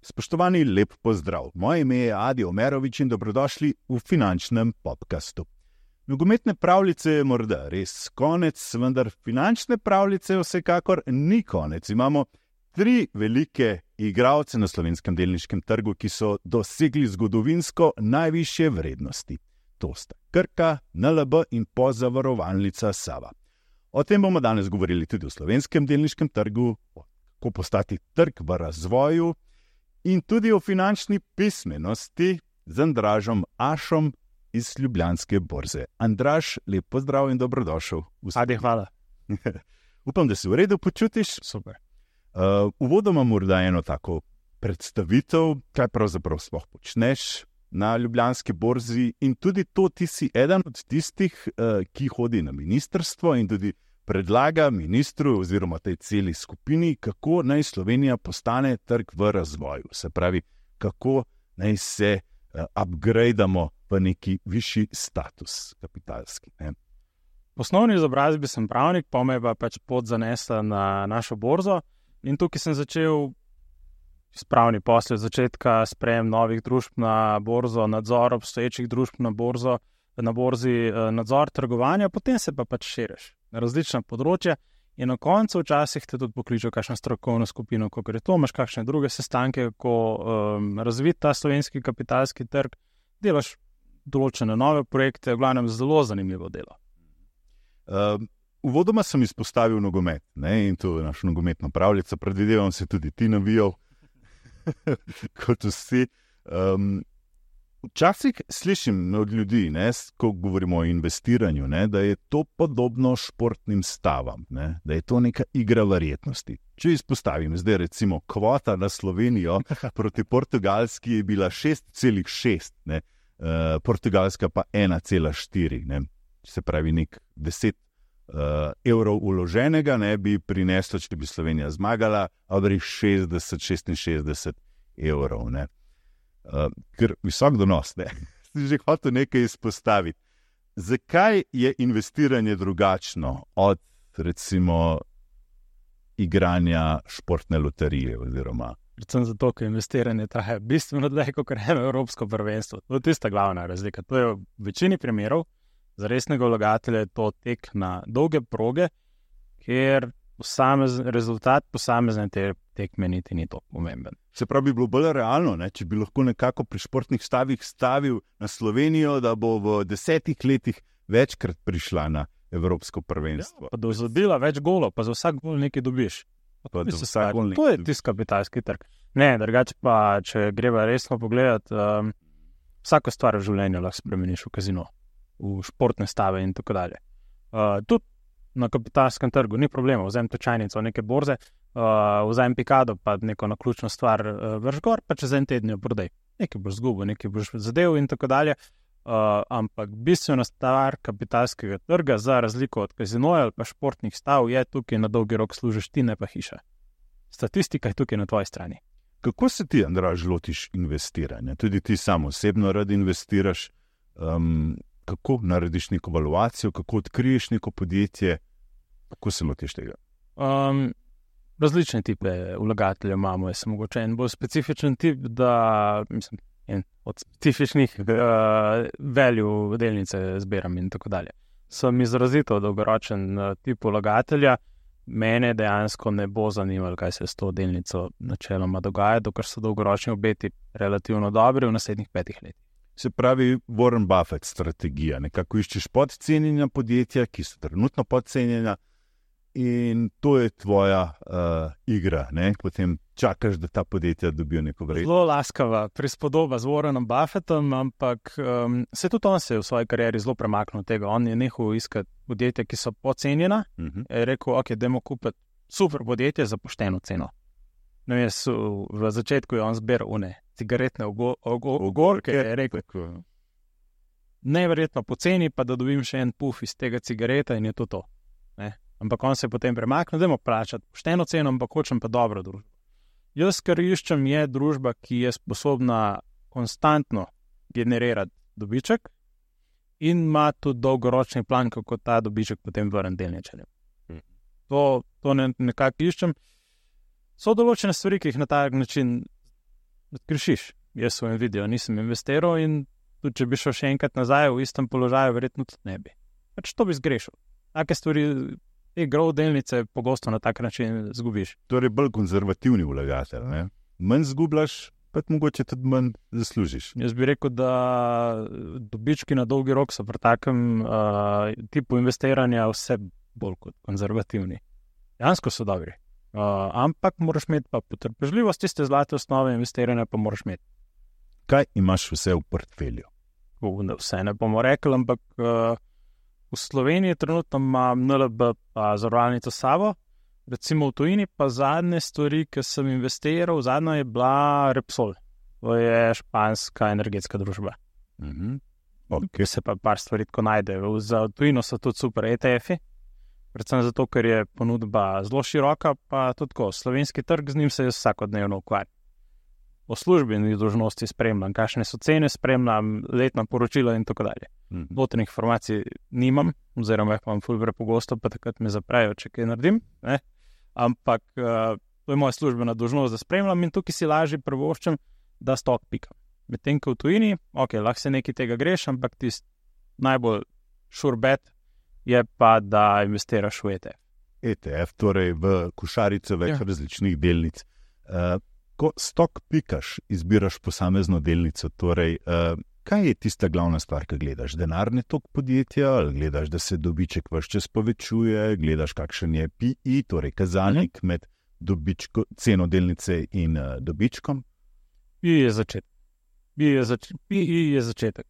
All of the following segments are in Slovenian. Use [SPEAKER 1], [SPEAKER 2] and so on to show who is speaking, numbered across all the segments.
[SPEAKER 1] Spoštovani, lep pozdrav. Moje ime je Adi Omerovič in dobrodošli v finančnem podcastu. Nogometne pravljice je morda res konec, vendar finančne pravljice vsekakor ni konec. Imamo 3 velike igralce na slovenskem delniškem trgu, ki so dosegli zgodovinsko najvišje vrednosti. To sta Krka, NLB in pozavarovalnica Sava. O tem bomo danes govorili tudi v slovenskem delniškem trgu, kako postati trg v razvoju in tudi o finančni pismenosti z Andražom Ašom iz Ljubljanske borze. Andraž, lep pozdrav in dobrodošel.
[SPEAKER 2] Adi, hvala.
[SPEAKER 1] Upam, da se v redu počutiš.
[SPEAKER 2] Super.
[SPEAKER 1] Uvodoma morda eno tako predstavitev, kaj pravzaprav sploh počneš na Ljubljanski borzi in tudi to, ti si eden od tistih, ki hodi na ministrstvo in tudi predlaga ministru oziroma tej celi skupini, kako naj Slovenija postane trg v razvoju. Se pravi, kako naj se upgradeamo v neki višji status kapitalski.
[SPEAKER 2] Po osnovni izobrazbi sem pravnik, pa me pa pač pot zanesla na našo borzo in tukaj sem začel spravni posle od začetka, sprejem novih družb na borzo, nadzor obstoječih družb na borzi, nadzor trgovanja, potem se pa pač širiš na različna področja in na koncu včasih te tudi pokličejo kakšno strokovno skupino, ko gre to, imaš kakšne druge sestanke, kako razviti ta slovenski kapitalski trg, delaš določene nove projekte, v glavnem zelo zanimivo delo.
[SPEAKER 1] Uvodoma sem izpostavil nogomet, in to je našo nogometno pravljico, predvidevam se tudi ti navijal, kot vsi. Včasih slišim od ljudi, ko govorimo o investiranju, da je to podobno športnim stavam, da je to neka igra verjetnosti. Če izpostavim, zdaj recimo kvota na Slovenijo proti Portugalski je bila 6,6, Portugalska pa 1,4. Se pravi, nek 10 evrov vloženega bi prineslo, če bi Slovenija zmagala, ali 60-66 evrov. Ker visok donos, si že hotel nekaj izpostaviti. Zakaj je investiranje drugačno od, recimo, igranja športne loterije oziroma?
[SPEAKER 2] Predvsem zato, ker investiranje traja bistveno dlje kot eno evropsko prvenstvo. To je tista glavna razlika. To je v večini primerov za resnega vlagatelja to tek na dolge proge, ker rezultat posamezne tekme niti ni to pomemben.
[SPEAKER 1] Se pravi, bi bilo bolj realno, če bi lahko nekako pri športnih stavih stavil na Slovenijo, da bo v 10 letih večkrat prišla na evropsko prvenstvo.
[SPEAKER 2] Ja, pa da bo zabila več golov, pa za vsak gol nekaj dobiš. To je tisti kapitalski trg. Ne, drugače pa, če greva resno pogledati, vsako stvar v življenju lahko spremeniš v kazino, v športne stave in tako dalje. Tudi na kapitalskem trgu ni problema, vzem tečajnico neke borze, vzem pikado, pa neko naključno stvar vrš gor, pa čez en teden jo prodaj. Nekaj boš zgubil, nekaj boš zadev in tako dalje. Ampak bistvena stvar kapitalskega trga, za razliko od kazinoja ali pa športnih stav, je tukaj na dolgi rok služiš ti, ne pa hiša. Statistika je tukaj na tvoji strani.
[SPEAKER 1] Kako se ti, Andraž, lotiš investiranja? Tudi ti sam osebno rad investiraš. Kako narediš neko valuacijo, kako odkriješ neko podjetje, kako se lotiš tega?
[SPEAKER 2] Različne tipe vlagateljev imamo. Jaz sem mogoče en bolj specifičen tip, da en od specifičnih value delnice zbiram in tako dalje. Sem izrazito dolgoročen tip vlagatelja, mene dejansko ne bo zanimalo, kaj se s to delnico načeloma dogaja, dokler so dolgoročni obeti relativno dobri v naslednjih 5 letih.
[SPEAKER 1] Se pravi, Warren Buffett strategija. Nekako iščeš podcenjena podjetja, ki so trenutno podcenjena in to je tvoja igra. Potem čakaš, da ta podjetja dobijo neko vrednost.
[SPEAKER 2] Zelo laskava prispodoba z Warrenom Buffettom, ampak se tudi on se je v svoji karieri zelo premaknil od tega. On je nehal iskati podjetja, ki so podcenjena. Je rekel, dajmo kupiti super podjetje za pošteno ceno. V začetku je on zbiral cigaretne ogorke, je rekel, neverjetno poceni, pa da dobim še en puf iz tega cigareta in je to. Ampak on se je potem premaknil, dajmo plačati pošteno ceno, ampak hočem pa dobro družbo. Jaz, kar iščem, je družba, ki je sposobna konstantno generirati dobiček in ima tudi dolgoročni plan, kako ta dobiček potem vrne delničarjem. To nekako iščem. So določene stvari, ki jih na tak način odkrišiš. Jaz v Nvidijo nisem investiral in tudi, če bi šel še enkrat nazaj v istem položaju, verjetno tudi ne bi. Pač to bi zgrešil. Take stvari, te grov delnice pogosto na tak način zgubiš.
[SPEAKER 1] Torej bolj konzervativni vlagatelj, ne? Manj zgubljaš, pa mogoče tudi manj zaslužiš.
[SPEAKER 2] Jaz bi rekel, da dobički na dolgi rok so pri takem tipu investiranja vse bolj kot konzervativni. Jansko so dobri. Ampak moraš imeti pa potrpežljivost, tiste zlate osnove investiranja pa moraš imeti.
[SPEAKER 1] Kaj imaš vse v portfelju?
[SPEAKER 2] Vse ne bomo rekli, ampak v Sloveniji trenutno imam NLB pa zavarovalnico Savo, recimo v tujini pa zadnje stvari, ki sem investiral, zadnja je bila Repsol. To je španska energetska družba.
[SPEAKER 1] Okay.
[SPEAKER 2] Se pa par stvari tako najde. Za tujino so tudi super ETF-i, predvsem zato, ker je ponudba zelo široka, pa tudi tako, slovenski trg, z njim se jaz vsakodnevno ukvarjam. Po službenih dolžnosti spremljam, kakšne so cene, spremljam letna poročila in tako dalje. Notranjih informacij nimam, oziroma jih imam ful prepogosto, pa takrat me zaprejo, če kaj naredim, ne? Ampak to je moja službena dolžnost, da spremljam in tukaj si lažje privoščim, da stok pikam. Medtem ko v tujini, lahko se nekaj tega greš, ampak tisti najbolj sure bet je pa, da investiraš v ETF.
[SPEAKER 1] ETF, torej v košarico več različnih delnic. Ko stok pikaš, izbiraš posamezno delnico, torej, kaj je tista glavna stvar, ki gledaš? Denarni tok podjetja, ali gledaš, da se dobiček ves čas povečuje, gledaš, kakšen je PI, torej kazalnik med ceno delnice in dobičkom?
[SPEAKER 2] PI je začetek.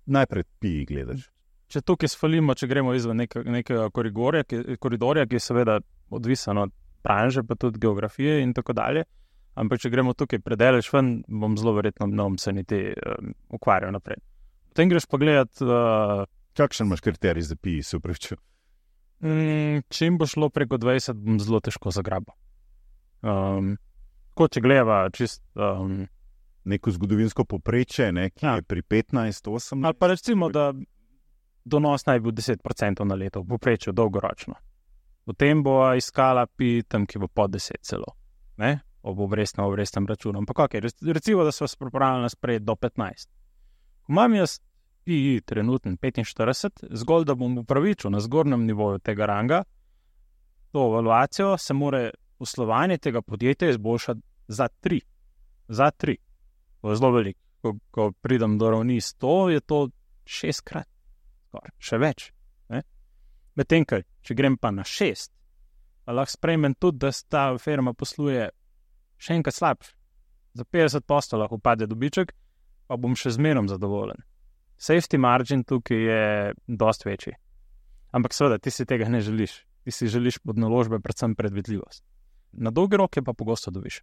[SPEAKER 1] Najprej PI gledaš.
[SPEAKER 2] Če tukaj sfalimo, če gremo izven nekega koridorja, ki je seveda odvisen od branže, pa tudi geografije in tako dalje, ampak če gremo tukaj predaleč ven, bom zelo verjetno se niti ukvarjal naprej. Potem greš pogledat...
[SPEAKER 1] Kakšen imaš kriterij za PI, se upravičujem?
[SPEAKER 2] Čim bo šlo preko 20, bom zelo težko zagrabil. Ko če gleda čist...
[SPEAKER 1] Neko zgodovinsko poprečje, ki je pri 15, 18...
[SPEAKER 2] Ali pa recimo, da donos naj bil 10% na leto, v poprečju dolgoročno. Potem bo iskala PI tam, ki bo pod 10 celo. Ne? Ob obrestnem računu. Ampak recimo, da so vas pripravljali sprejeti do 15. Ko imam jaz PI trenutno 45, zgolj da bom upravičil na zgornjem nivoju tega ranga, to evaluacijo se more poslovanje tega podjetja izboljšati za 3. Za 3. To je zelo veliko. Ko pridem do ravni 100, je to 6-krat. Še več. Medtem, če grem pa na 6, pa lahko sprejmem tudi, da ta firma posluje še enkrat slabš. Za 50% lahko upade dobiček, pa bom še zmerom zadovoljen. Safety margin tukaj je dosti večji. Ampak seveda, ti si tega ne želiš. Ti si želiš pod naložbe predvsem predvidljivost. Na dolgi rok je pa pogosto dobiš.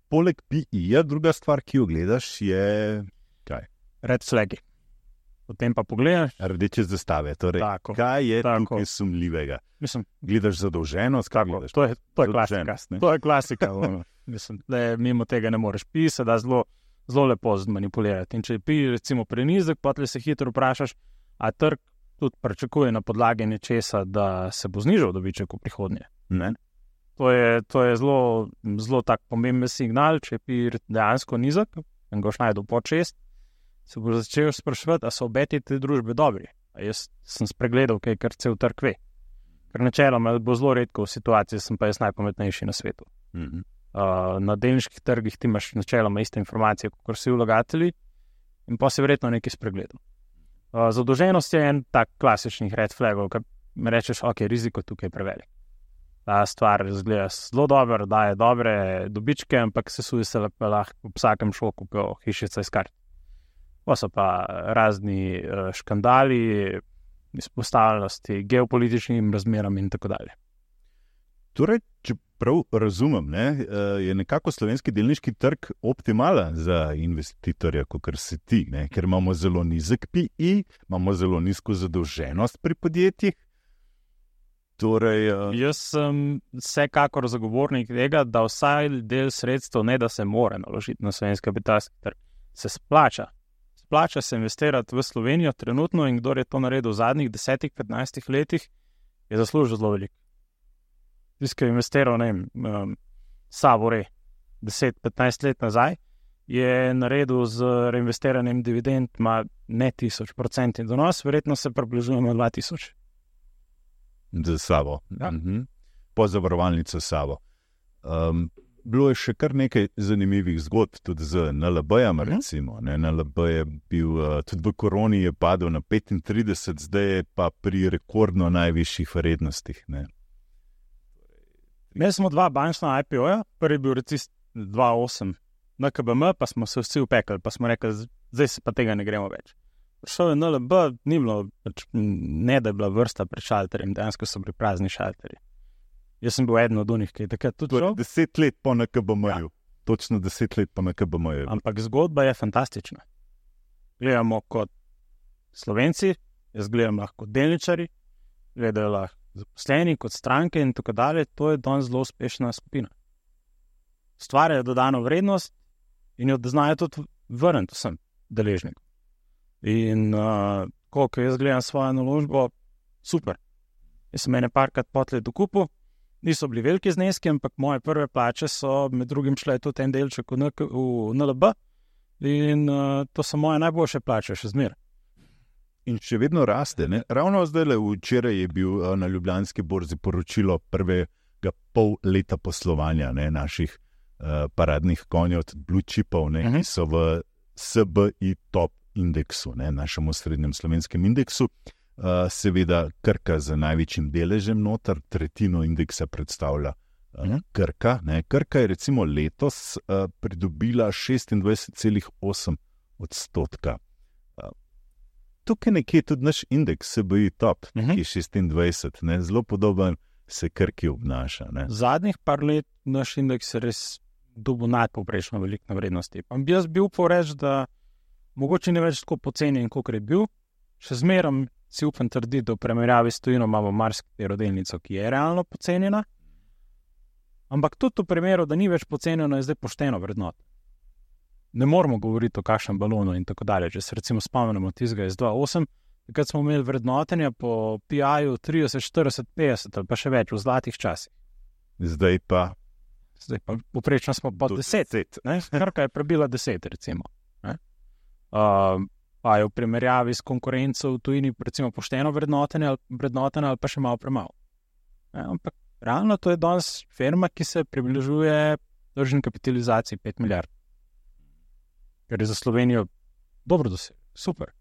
[SPEAKER 1] Poleg PI-ja, druga stvar, ki jo gledaš, je kaj?
[SPEAKER 2] Red flagi. Potem pa pogledaš.
[SPEAKER 1] Rdeče zastave. Torej, kaj je tukaj sumljivega?
[SPEAKER 2] Mislim,
[SPEAKER 1] gledaš zadolženost?
[SPEAKER 2] To je klasika. To je klasika. Mislim, da mimo tega ne moreš pisati, da zelo lepo zmanipulirati. In če je PI recimo prenizek, potem se hitro vprašaš, a trg tudi pričakuje na podlagi nečesa, da se bo znižal dobiček v prihodnje.
[SPEAKER 1] Ne.
[SPEAKER 2] To je zelo tak pomemben signal, če je PI dejansko nizek, in ga boš najdel pod 6, se bo začel spraševati, a so obeti te družbe dobri. A jaz sem spregledal, kaj kar cel trg ve. Ker načeloma bo zelo redko v situaciji, sem pa jaz najpametnejši na svetu. Na delniških trgih ti imaš načeloma iste informacije, kot vsi vlagatelji, in pa si verjetno nekaj spregledal. Zadolženost je en tak klasičnih red flagov, ker mi rečeš, riziko tukaj je prevelik. Ta stvar izgleda zelo dobro, daje dobre dobičke, ampak sesuje se lahko v vsakem šoku, ko hišica iz kart. Pa so pa razni škandali, izpostavljenosti geopolitičnim razmeram in tako dalje.
[SPEAKER 1] Torej, če prav razumem, je nekako slovenski delniški trg optimalen za investitorja, kot si ti, ker imamo zelo nizek PI, imamo zelo nizko zadolženost pri podjetjih. Torej,
[SPEAKER 2] Jaz sem vsekakor zagovornik tega, da vsaj del sredstev, ne da se mora naložiti na slovenski kapitalski trg, se splača splača se investirati v Slovenijo trenutno in kdo je to naredil v zadnjih 10-15 letih, je zaslužil zelo veliko. Tisti, ki je investiral, ne vem, Savore 10-15 let nazaj, je naredil z reinvestiranjem dividend ima ne 1000% donos, verjetno se približujemo 2000.
[SPEAKER 1] Z Savo. Ja. Po zavarovalnico Savo. Bilo je še kar nekaj zanimivih zgodb, tudi z NLB-jem, recimo. NLB je bil, tudi v koroni je padel na 35, zdaj je pa pri rekordno najvišjih vrednostih.
[SPEAKER 2] Imeli smo 2 bančna IPO-ja, prvi je bil recimo 2008 na KBM, pa smo se vsi upekli, pa smo rekli, zdaj se pa tega ne gremo več. Prišel je NLB, ni bilo, ne da je bila vrsta pred šalterjem, dejansko so bili prazni šalterji. Jaz sem bil eden od unih, ki je takrat tudi šel.
[SPEAKER 1] 10 let po NKBM-ju. Ja. Točno 10 let po NKBM-ju.
[SPEAKER 2] Ampak zgodba je fantastična. Gledamo kot Slovenci, jaz gledam lahko kot delničari, gledajo lahko zaposleni, kot stranke in tako dalje. To je danes zelo uspešna skupina. Stvarjajo dodano vrednost in jo znajo tudi vrniti vsem deležnikom. In koliko jaz gledam svojo naložbo, super. Jaz sem ene parkrat potlej dokupil, niso bili veliki zneski, ampak moje prve plače so med drugim šle tudi en delček v NLB in to so moje najboljše plače še zmeraj.
[SPEAKER 1] In še vedno raste. Ne? Ravno zdaj, včeraj je bil na Ljubljanski borzi poročilo prvega pol leta poslovanja naših paradnih konjev, blue chipov, ki so v SBI top indeksu, našem osrednjem slovenskem indeksu. Seveda Krka z največjim deležem noter, tretjino indeksa predstavlja Krka. Krka je recimo letos pridobila 26,8%. Tukaj nekje tudi naš indeks SBI top, ki je 26, zelo podoben se Krki obnaša.
[SPEAKER 2] Zadnjih par let naš indeks je res dobil nadpovprečno veliko na vrednosti. Pa bi jaz bil reči, da mogoče ne več tako poceni, kot je bil. Še zmerom si upam trditi, da v primerjavi s tujino imamo marsikatero delnico, ki je realno pocenjena. Ampak tudi v primeru, da ni več pocenjeno, je zdaj pošteno vrednot. Ne moramo govoriti o kakšnem balonu in tako dalje. Če se recimo spomnimo tistega iz 2008, takrat smo imeli vrednotenja po PI-ju 30, 40, 50 ali pa še več v zlatih časih.
[SPEAKER 1] Zdaj pa
[SPEAKER 2] poprečno smo pod 10. Krka je prebila 10, recimo. Pa je v primerjavi s konkurenco v tujini recimo pošteno vrednotenje ali pa še malo premalo. Ampak realno to je danes firma, ki se približuje tržni kapitalizaciji 5 milijard. Ker je za Slovenijo dobro doseg. Super.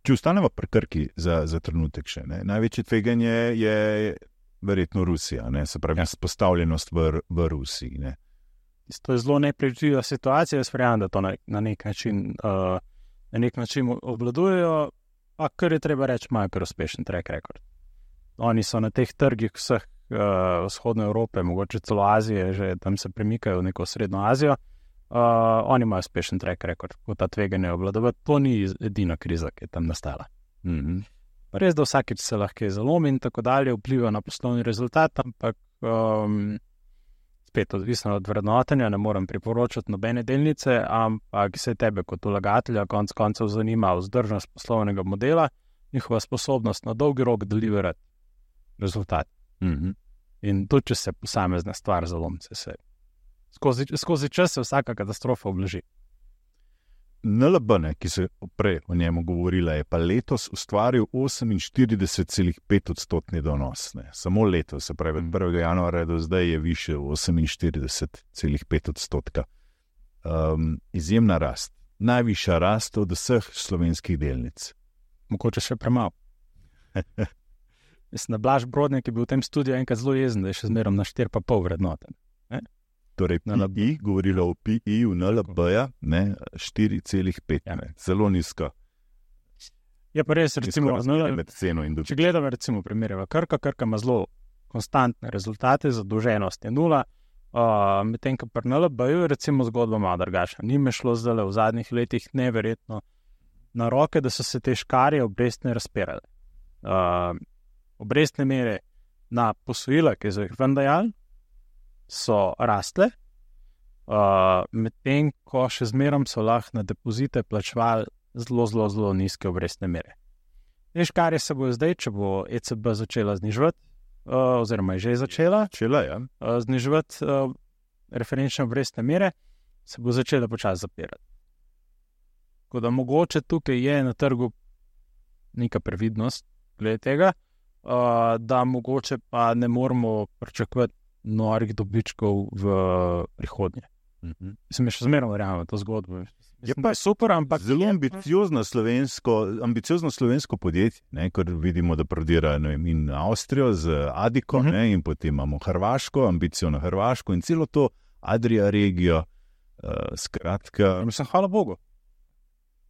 [SPEAKER 1] Če ostanemo pri Krki za trenutek še, največje tveganje je verjetno Rusija, se pravi izpostavljenost v Rusiji.
[SPEAKER 2] To je zelo nepredvidljiva situacija, jaz verjamem, da to na nek način obvladujejo, pa kar je treba reči, imajo kar uspešen track record. Oni so na teh trgih vseh vzhodne Evrope, mogoče celo Azije, že tam se premikajo v neko srednjo Azijo, oni imajo uspešen track record, ko ta tveganje obvladovati. To ni edina kriza, ki je tam nastala. Res, da vsakeč se lahko zalomi in tako dalje, vpliva na poslovni rezultat, ampak spet odvisno od vrednotenja, ne morem priporočati nobene delnice, ampak se tebe kot vlagatelja konec koncev zanima vzdržnost poslovnega modela, njihova sposobnost na dolgi rok deliverati rezultat. In tudi, če se posamezna stvar zalomi, se skozi čas se vsaka katastrofa oblaži.
[SPEAKER 1] NLB, ki se prej o njemu govorila, je pa letos ustvaril 48,5% donos. Samo letos, se pravi, od 1. januarja do zdaj je više 48,5%. Izjemna rast. Najvišja rast od vseh slovenskih delnic.
[SPEAKER 2] Mogoče še premalo. Mislim, da Blaž Brodnik je bil v tem studiu enkrat zelo jezen, da je še zmerom na 4,5 vrednoten.
[SPEAKER 1] Torej, PI, govorila o PI v NLB-ja, 4,5, zelo nizko.
[SPEAKER 2] Je pa res, recimo, če gledamo recimo primere v Krka ima zelo konstantne rezultate, zadolženost je 0, medtem ko pri NLB-ju recimo zgodba malo drugačna. Ni me šlo zdaj v zadnjih letih neverjetno na roke, da so se te škarje obrestne razpirale. Obrestne mere na posojila, ki so jih ven dajali, so rastle, medtem ko še zmerom so lahko na depozite plačevali zelo nizke obrestne mere. Veš, kar se bo zdaj, če bo ECB začela zniževati, oziroma je že začela zniževati referenčne obrestne mere, se bo začela počasi zapirati. Tako da mogoče tukaj je na trgu neka previdnost glede tega, da mogoče pa ne moramo pričakovati norih dobičkov v prihodnje. Mislim, še zmerno verjamem v to zgodbo.
[SPEAKER 1] Je pa super, ampak zelo ambiciozno slovensko podjetje, ker vidimo, da prodira in Avstrijo z Adiko, in potem imamo Hrvaško, ambicijo na Hrvaško in celo to Adria regijo. Skratka.
[SPEAKER 2] Mislim, hvala Bogu.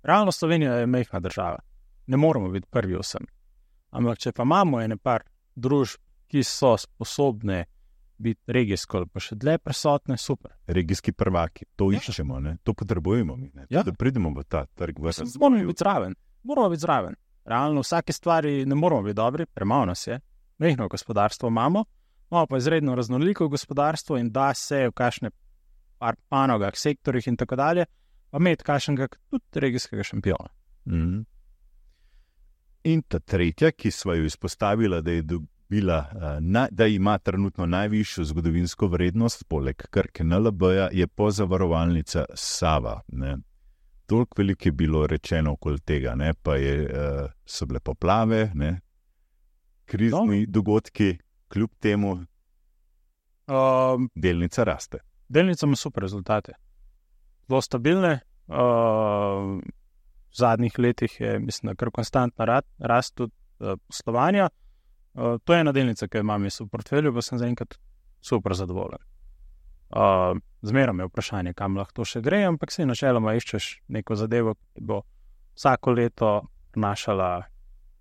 [SPEAKER 2] Realno Slovenija je majhna država. Ne moramo biti prvi vsem. Ampak če pa imamo ene par družb, ki so sposobne biti regijsko, pa še dlje prisotne, super.
[SPEAKER 1] Regijski prvaki, to iščemo, to potrebujemo mi, da pridemo v ta trg.
[SPEAKER 2] Moramo biti zraven. Realno vsake stvari ne moramo biti dobri, premalo nas je. Majhno gospodarstvo imamo pa izredno raznoliko gospodarstvo in da se v kakšne par panogah, sektorjih in tako dalje, pa imeti kakšnega tudi regijskega šampiona.
[SPEAKER 1] In ta tretja, ki sva jo izpostavila, da je da ima trenutno najvišjo zgodovinsko vrednost, poleg Krke NLB-ja, je pozavarovalnica Sava. Toliko veliko je bilo rečeno okoli tega, pa so bile poplave, krizni dogodki, kljub temu delnica raste.
[SPEAKER 2] Delnica ima super rezultate. Zelo stabilne. V zadnjih letih je, mislim, kar konstantna rast tudi poslovanja. To je ena delnica, ki jo imam v portfelju, pa sem zaenkrat super zadovoljen. Zmerom je vprašanje, kam lahko to še gre, ampak se načeloma iščeš neko zadevo, ki bo vsako leto prinašala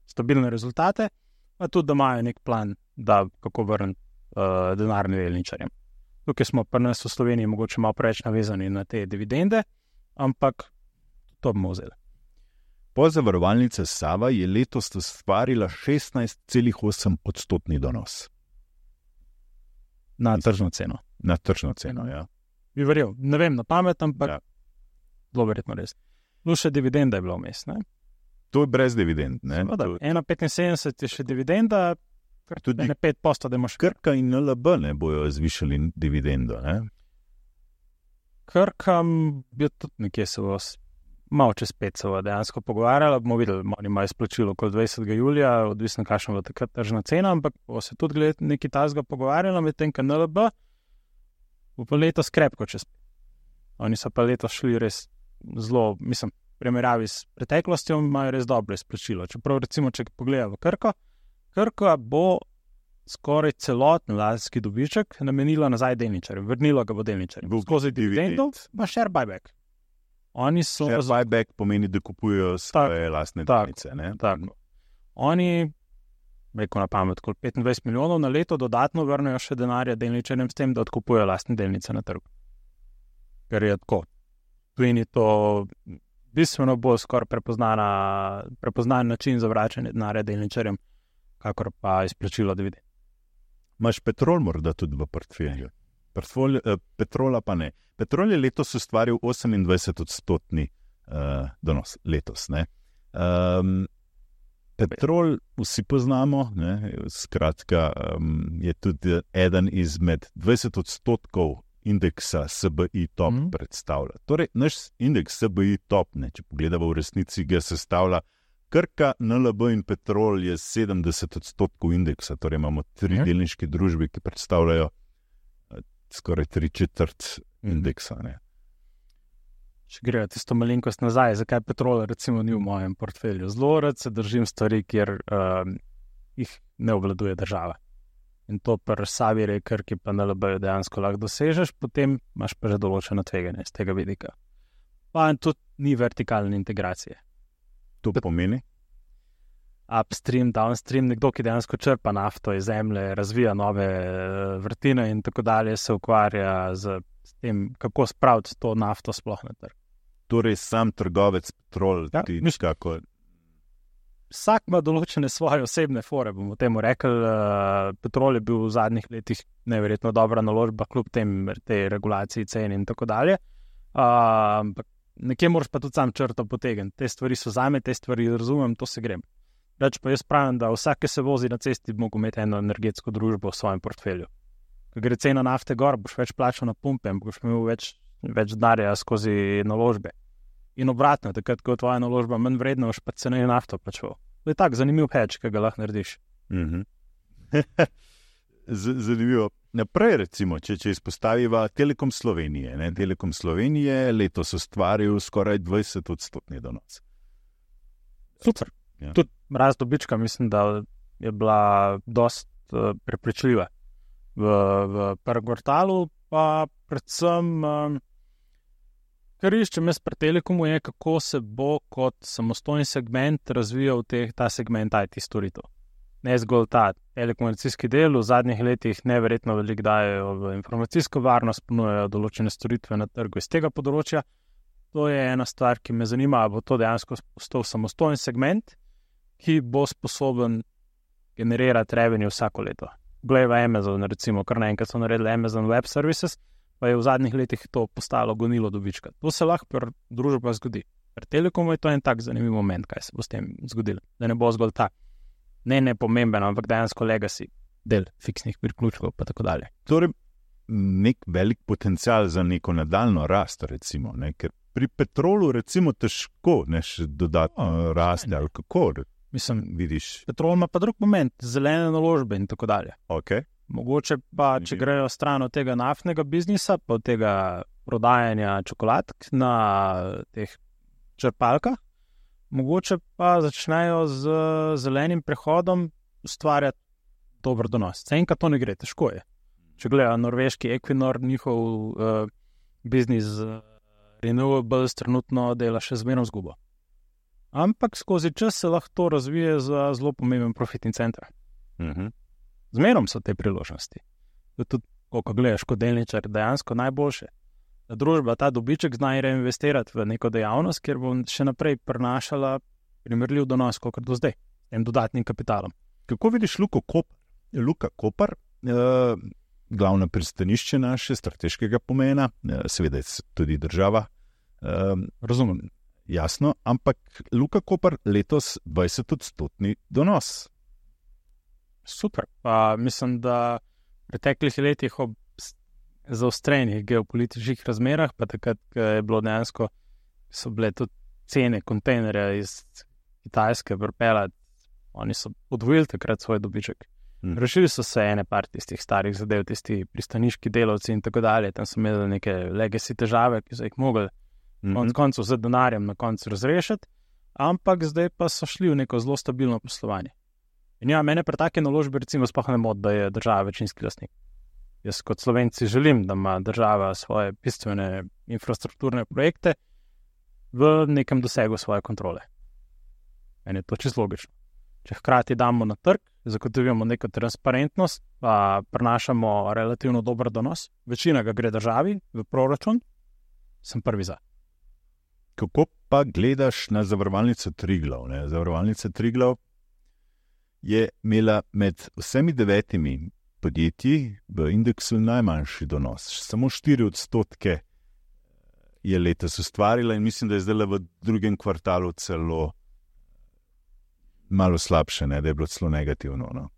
[SPEAKER 2] stabilne rezultate, pa tudi, da imajo nek plan, da kako vrniti denarnim delničarjem. Tukaj smo pri nas v Sloveniji mogoče malo preveč navezani na te dividende, ampak to bomo vzeli.
[SPEAKER 1] Pozavarovalnica Sava je letos ustvarila 16,8% donos.
[SPEAKER 2] Na tržno ceno.
[SPEAKER 1] Na tržno ceno, ja.
[SPEAKER 2] Bi verjel, ne vem na pamet, ampak zelo verjetno res. Še dividenda je bila vmes, ne?
[SPEAKER 1] To je brez dividend, ne?
[SPEAKER 2] 1,75 je še dividenda, tudi 5%, da imaš.
[SPEAKER 1] Krka in NLB ne bojo zvišali dividendo, ne?
[SPEAKER 2] Krka bi tudi nekje se vas malo čez 5 se dejansko pogovarjala, bomo videli, oni imajo izplačilo okoli 20. julija, odvisno kakšna bo takrat tržna cena, ampak bo se tudi nekaj tazga pogovarjala, medtem ko NLB bo pa letos krepko čez 5. Oni so pa letos šli res zelo, mislim, v primerjavi s preteklostjo imajo res dobro izplačilo. Čeprav recimo, če pogledamo Krka bo skoraj celoten lastniški dobiček namenila nazaj delničarjem, vrnilo ga bo delničarjem. Skozi dividendo, pa share buyback.
[SPEAKER 1] Share buyback pomeni, da kupujejo svoje lastne delnice.
[SPEAKER 2] Tako. Oni, rekel na pamet, kot 25 milijonov na leto dodatno vrnejo še denarja delničarjem s tem, da odkupujejo lastne delnice na trgu. Ker je tako. Tujini to bistveno bolj skoraj prepoznan način za vračanje denarja delničarjem, kakor pa izplačilo dividend.
[SPEAKER 1] Imaš Petrol morda tudi v portfelju? Petrola pa ne. Petrol je letos ustvaril 28% donos. Letos, ne. Petrol vsi poznamo, ne. Skratka, je tudi eden izmed 20% indeksa SBI Top predstavlja. Torej, naš indeks SBI Top, ne, če pogledamo v resnici, ga sestavlja Krka, NLB in Petrol je 70% indeksa, torej imamo 3 delniške družbe, ki predstavljajo skoraj 3/4 indeksa. Ne.
[SPEAKER 2] Če grejo tisto malenkost nazaj, zakaj Petrol recimo ni v mojem portfelju? Zelo rad se držim stvari, kjer jih ne obvladuje država. In to pri Savi, Krki pa NLB dejansko lahko dosežeš, potem imaš pa že določeno tveganje z tega vidika. Pa tudi ni vertikalne integracije.
[SPEAKER 1] To pomeni?
[SPEAKER 2] Upstream, downstream, nekdo, ki dejansko črpa nafto iz zemlje, razvija nove vrtine in tako dalje, se ukvarja z tem, kako spraviti to nafto sploh na trg.
[SPEAKER 1] Torej, sam trgovec Petrol, kako...
[SPEAKER 2] Vsak ima določene svoje osebne fore, bomo temu rekli. Petrol je bil v zadnjih letih neverjetno dobra naložba, kljub tej regulaciji cen in tako dalje. nekje moraš pa tudi sam črto potegniti. Te stvari so zame, te stvari razumem, to se grem. Reč pa jaz pravim, da vsak, ki se vozi na cesti, bi mogel imeti eno energetsko družbo v svojem portfelju. Ko gre cena nafte gor, boš več plačal na pumpe, boš imel več denarja skozi naložbe. In obratno, takrat, ko je tvoja naložba manj vredna, boš pa ceneje nafto plačal. To je tak zanimiv hedge, ki ga lahko narediš.
[SPEAKER 1] Zanimivo. Naprej, recimo, če izpostaviva Telekom Slovenije. Ne? Telekom Slovenije letos ustvaril skoraj 20% donos.
[SPEAKER 2] Super. Ja. Tudi rast dobička, mislim, da je bila dost prepričljiva. V prvem kvartalu pa predvsem, kar iščem jaz pri Telekomu, je, kako se bo kot samostojni segment razvijal ta segment IT storitev. Ne zgolj ta telekomunikacijski del, v zadnjih letih neverjetno veliko dajejo v informacijsko varnost, ponujajo določene storitve na trgu iz tega področja. To je ena stvar, ki me zanima, bo to dejansko postal samostojen segment, ki bo sposoben generirati revenue vsako leto. Glej v Amazon, recimo, kar naenkrat so naredili Amazon Web Services, pa je v zadnjih letih to postalo gonilo dobička. To se lahko pri družbah zgodi. Pri Telekomu je to en tak zanimiv moment, kaj se bo s tem zgodilo. Da ne bo zgolj ta ne pomemben, ampak dejansko legacy del fiksnih priključkov pa tako dalje.
[SPEAKER 1] Torej, nek velik potencial za neko nadaljno rast, recimo, ne? Ker pri petrolu recimo težko še dodatno raste, ali kako?
[SPEAKER 2] Mislim,
[SPEAKER 1] vidiš.
[SPEAKER 2] Petrol ima pa drug moment, zelene naložbe in tako dalje.
[SPEAKER 1] Okay.
[SPEAKER 2] Mogoče pa, če grejo stran od tega naftnega biznisa, pa od tega prodajanja čokoladk na teh črpalkah, mogoče pa začnejo z zelenim prehodom ustvarjati dober donos. Enkrat to ne gre, težko je. Če gledajo norveški Equinor, njihov biznis renewables trenutno dela še zmerno zgubo. Ampak skozi čas se lahko to razvije za zelo pomemben profitni center. Zmerom so te priložnosti. Tudi, ko gledaš kot delničar, dejansko najboljše. Da družba ta dobiček zna reinvestirati v neko dejavnost, kjer bo še naprej prinašala primerljiv donos, kot do zdaj, s tem dodatnim kapitalom.
[SPEAKER 1] Kako vidiš Luko Koper? Luka Koper, glavno pristanišče naše, strateškega pomena, seveda tudi država.
[SPEAKER 2] Razumem.
[SPEAKER 1] Jasno, ampak Luka Koper letos 20% donos.
[SPEAKER 2] Super. Pa mislim, da v preteklih letih ob zaostrenih geopolitičnih razmerah, pa takrat je bilo dejansko, so bile tudi cene kontejnerja iz Kitajske pripeljati, oni so podvojili takrat svoj dobiček. Rešili so se ene par tistih starih zadev, tisti pristaniški delavci in tako dalje, tam so imeli neke legacy težave, ki so jih mogli konec koncev z denarjem na koncu razrešiti, ampak zdaj pa so šli v neko zelo stabilno poslovanje. In ja, mene pri take naložbe recimo sploh ne moti, da je država večinski lastnik. Jaz kot Slovenci želim, da ima država svoje bistvene infrastrukturne projekte v nekem dosegu svoje kontrole. Meni je to čisto logično. Če hkrati damo na trg, zagotovimo neko transparentnost, pa prinašamo relativno dober donos, večina ga gre državi v proračun, sem prvi za.
[SPEAKER 1] Kako pa gledaš na zavarovalnico Triglav? Zavarovalnica Triglav je imela med vsemi 9 podjetji v indeksu najmanjši donos. Samo 4% je letos ustvarila in mislim, da je zdaj v drugem kvartalu celo malo slabše, da je bilo celo negativno. No?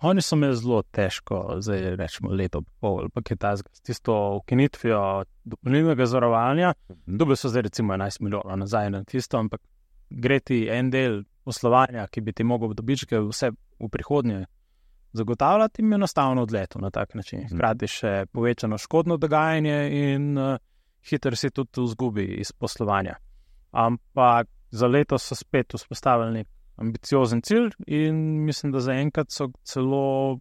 [SPEAKER 2] Oni so imeli zelo težko, zdaj rečemo leto pol, pa je ta s tisto ukinitvijo dopolnilnega zavarovanja. Dobili so zdaj recimo 11 milijonov nazaj na tisto, ampak gre ti en del poslovanja, ki bi ti mogel dobičke vse v prihodnje zagotavljati, jim je enostavno odletel na tak način. Hkrati še povečano škodno dogajanje in hitro si tudi v zgubi iz poslovanja. Ampak za leto so spet vzpostavili nek ambiciozen cilj in mislim, da zaenkrat so celo v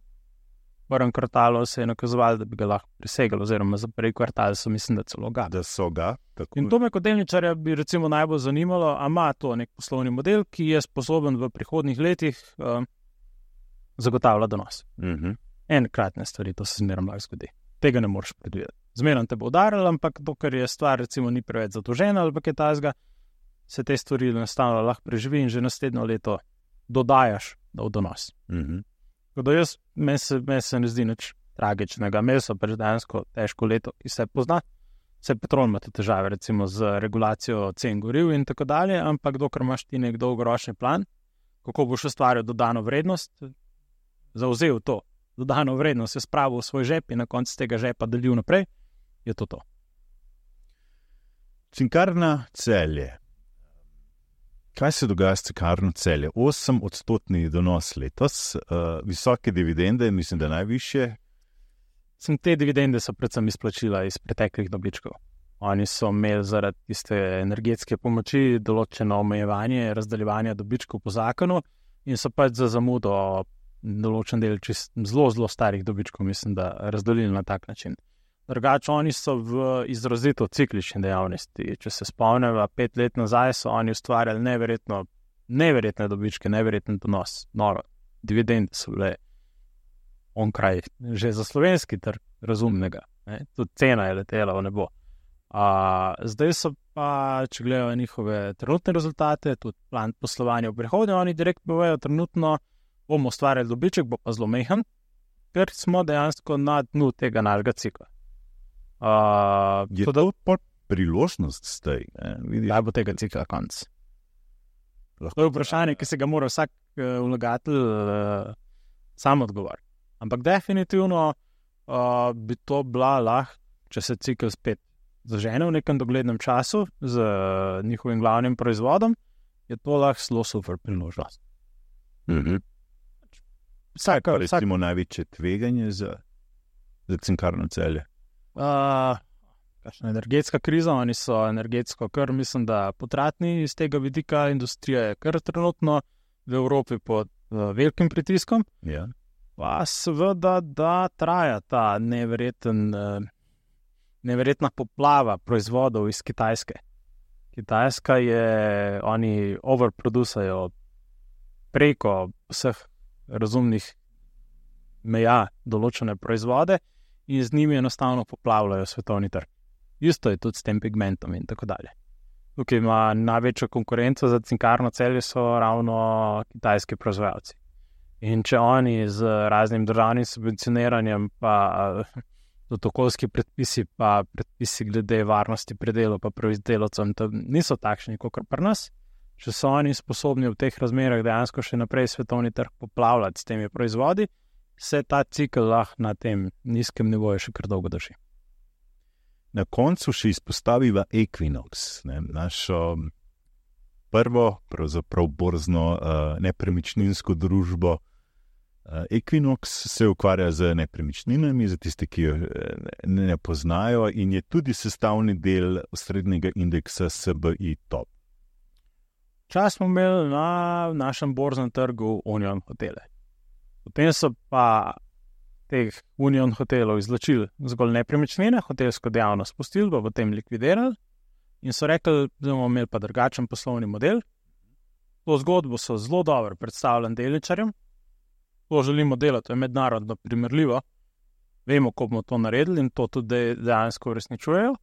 [SPEAKER 2] prvem kvartalu se je nakazovali, da bi ga lahko presegali, oziroma za prvi kvartal so mislim, da celo ga.
[SPEAKER 1] Da so ga. Tako.
[SPEAKER 2] In to me kot delničarja bi recimo najbolj zanimalo, a ima to nek poslovni model, ki je sposoben v prihodnjih letih zagotavlja donos. Enkratne stvari, to se zmerno lahko zgodi. Tega ne moreš predvideti. Zmerno te bo udarilo, ampak dokler je stvar recimo ni preveč zadolžena ali pa kaj takega, se te stvari enostavno lahko preživi in že naslednjo leto dodajaš v donos. Tako da meni se ne zdi nič tragičnega. Imeli so pač dejansko težko leto, ki se pozna. Vse petrol ima tudi težave, recimo z regulacijo cen goriv in tako dalje, ampak dokler imaš ti nek dolgoročni plan, kako boš ustvaril dodano vrednost, zavzel to dodano vrednost, je spravil v svoj žep in na koncu tega žepa delil naprej, je to.
[SPEAKER 1] Cinkarna Celje. Kaj se dogaja s Cinkarno Celje? 8% donos letos, visoke dividende, mislim, da najvišje.
[SPEAKER 2] Te dividende so predvsem izplačila iz preteklih dobičkov. Oni so imeli zaradi tiste energetske pomoči določeno omejevanje razdeljevanja dobičkov po zakonu in so pač za zamudo določen del zelo starih dobičkov, mislim, da razdelili na tak način. Drugače, oni so v izrazito ciklični dejavnosti. Če se spomnimo, 5 let nazaj so oni ustvarjali neverjetne dobičke, neverjeten donos. Noro, dividende so bile onkraj, že za slovenski trg razumnega. Tudi cena je letela v nebo. Zdaj so pa, če gledajo njihove trenutne rezultate, tudi plan poslovanja v prihodnje, oni direktno povedo, trenutno bomo ustvarjali dobiček, bo pa zelo mehen, ker smo dejansko na dnu tega nalega cikla.
[SPEAKER 1] Je to priložnost zdaj?
[SPEAKER 2] Kaj bo tega cikla konc? To je vprašanje, ki se ga mora vsak vlagatelj sam odgovoriti. Ampak definitivno bi to bila lahko, če se cikl spet zažene v nekem doglednem času z njihovim glavnim proizvodom, je to lahko zelo super priložnost.
[SPEAKER 1] Recimo največje tveganje za Cinkarno Celje?
[SPEAKER 2] Kakšna energetska kriza, oni so energetsko kar, mislim, da potratni iz tega vidika, industrija je kar trenutno v Evropi pod velikim pritiskom.
[SPEAKER 1] Ja.
[SPEAKER 2] Pa seveda, da traja ta neverjetna poplava proizvodov iz Kitajske. Kitajska je, oni overproducajo preko vseh razumnih meja določene proizvode in z njimi enostavno poplavljajo svetovni trg. Isto je tudi s tem pigmentom in tako dalje. Tukaj ima največjo konkurenco za Cinkarno Celje so ravno kitajski proizvajalci. In če oni z raznim državnim subvencioniranjem pa tudi okoljski predpisi pa predpisi glede varnosti pri delu pa proizdelavcem niso takšni kot pri nas, če so oni sposobni v teh razmerah dejansko še naprej svetovni trg poplavljati s temi proizvodi, se ta cikl lahko na tem nizkem nivoju še kar dolgo drži.
[SPEAKER 1] Na koncu še izpostaviva Equinox, našo prvo, pravzaprav borzno nepremičninsko družbo. Equinox se ukvarja z nepremičninami, za tiste, ki jo ne poznajo, in je tudi sestavni del osrednjega indeksa SBI Top.
[SPEAKER 2] Čas smo imeli na našem borznem trgu Union Hotele. Potem so pa teh Union hotelov izločili zgolj nepremičnine, hotelsko dejavnost pustili, pa potem likvidirali in so rekli, da bomo imeli pa drugačen poslovni model. To zgodbo so zelo dobro predstavljali delničarjem, to želimo delati, to je mednarodno primerljivo, vemo, ko bomo to naredili in to tudi dejansko uresničujejo.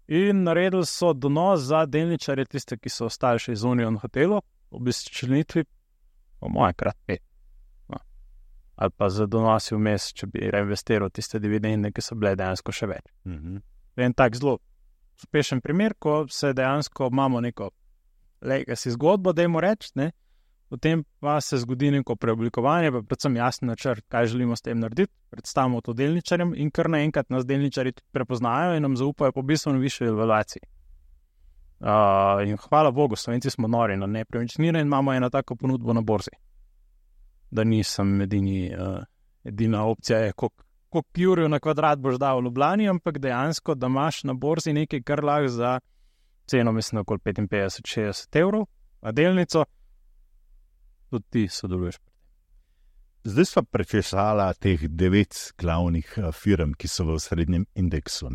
[SPEAKER 2] In naredili so donos za delničarje, tiste, ki so ostali še iz Union hotelov, ob izčlenitvi, po moje krat 5. Ali pa za donosi vmes, če bi reinvestiral tiste dividende, ki so bile dejansko še več. En tak zelo uspešen primer, ko se dejansko imamo neko legacy zgodbo, dajmo reči, potem pa se zgodi neko preoblikovanje, pa predvsem jasen načrt, kaj želimo s tem narediti, predstavimo to delničarjem in kar naenkrat nas delničarji prepoznajo in nam zaupajo po bistveno višji evaluaciji. In hvala Bogu, Slovenci smo nori na nepremičnine in imamo eno tako ponudbo na borzi. Da nisem edina opcija, koliko jurjev na kvadrat boš dal v Ljubljani, ampak dejansko, da imaš na borzi nekaj, kar lahko za ceno, mislim, okoli 55-60 evrov, a delnico, tudi ti sodeluješ.
[SPEAKER 1] Zdaj sva prečesala teh 9 glavnih firm, ki so v srednjem indeksu.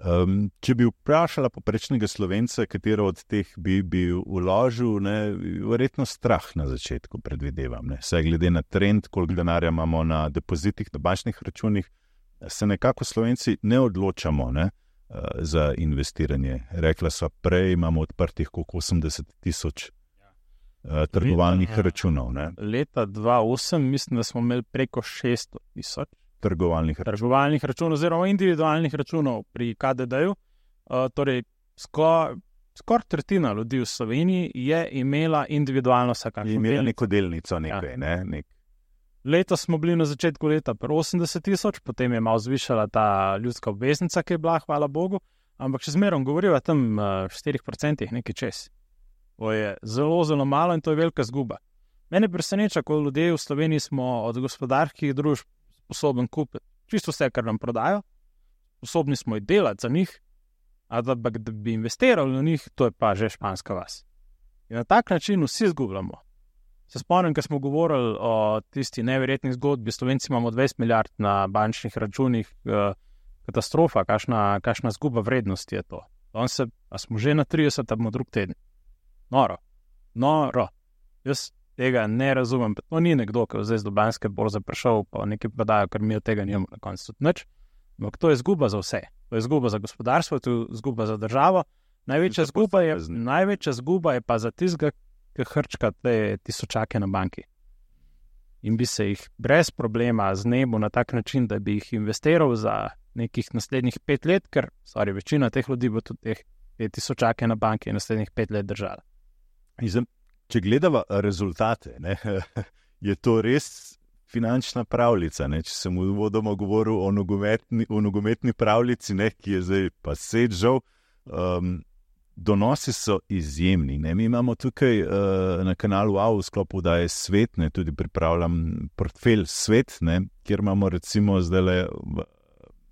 [SPEAKER 1] Če bi vprašala poprečnega Slovenca, katero od teh bi vložil, verjetno strah na začetku predvidevam. Saj glede na trend, koliko denarja imamo na depozitih, na bančnih računih, se nekako Slovenci ne odločamo za investiranje. Rekla sva prej, imamo odprtih koliko 80,000 trgovalnih računov.
[SPEAKER 2] Leta 2008 mislim, da smo imeli preko 600,000
[SPEAKER 1] trgovalnih
[SPEAKER 2] računov oziroma individualnih računov pri KDD-ju Torej, skoraj tretjina ljudi v Sloveniji je imela individualno vsakakšno delnico.
[SPEAKER 1] Imela neko delnico nekaj, ne?
[SPEAKER 2] Letos smo bili na začetku leta pri 80,000, potem je malo zvišala ta ljudska obveznica, ki je bila, hvala Bogu, ampak še zmerom govoriva tam 4% nekaj čez. To je zelo, zelo malo in to je velika zguba. Mene preseneča, ko ljudje v Sloveniji smo od gospodarskih družb sposobni kupiti čisto vse, kar nam prodajo, sposobni smo jih delati za njih, ampak da bi investirali v njih, to je pa že španska vas. In na tak način vsi zgubljamo. Se spomnim, ko smo govorili o tisti neverjetni zgodbi, Slovenci imamo 20 milijard na bančnih računih, katastrofa, kakšna zguba vrednosti je to. A smo že na 30, a bomo drug teden. Noro. Jaz tega ne razumem. To ni nekdo, ki je zdaj z Ljubljanske borze prišel, pa nekaj prodajo, ker mi od tega nimamo na koncu tudi nič. Ampak to je zguba za vse. To je zguba za gospodarstvo, to je zguba za državo. Največja zguba je pa za tistega, ki hrčka te tisočake na banki. In bi se jih brez problema znebil na tak način, da bi jih investiral za nekih naslednjih 5 let, ker večina teh ljudi bo tudi te tisočake na banki naslednjih 5 let držala.
[SPEAKER 1] Če gledava rezultate, ne, je to res finančna pravljica. Ne? Če sem uvodoma govoril o nogometni pravljici, ne, ki je zdaj pa žal, donosi so izjemni. Ne? Mi imamo tukaj na kanalu AU v sklopu Oddaje Svet, ne, tudi pripravljam portfelj Svet, ne, kjer imamo recimo zdaj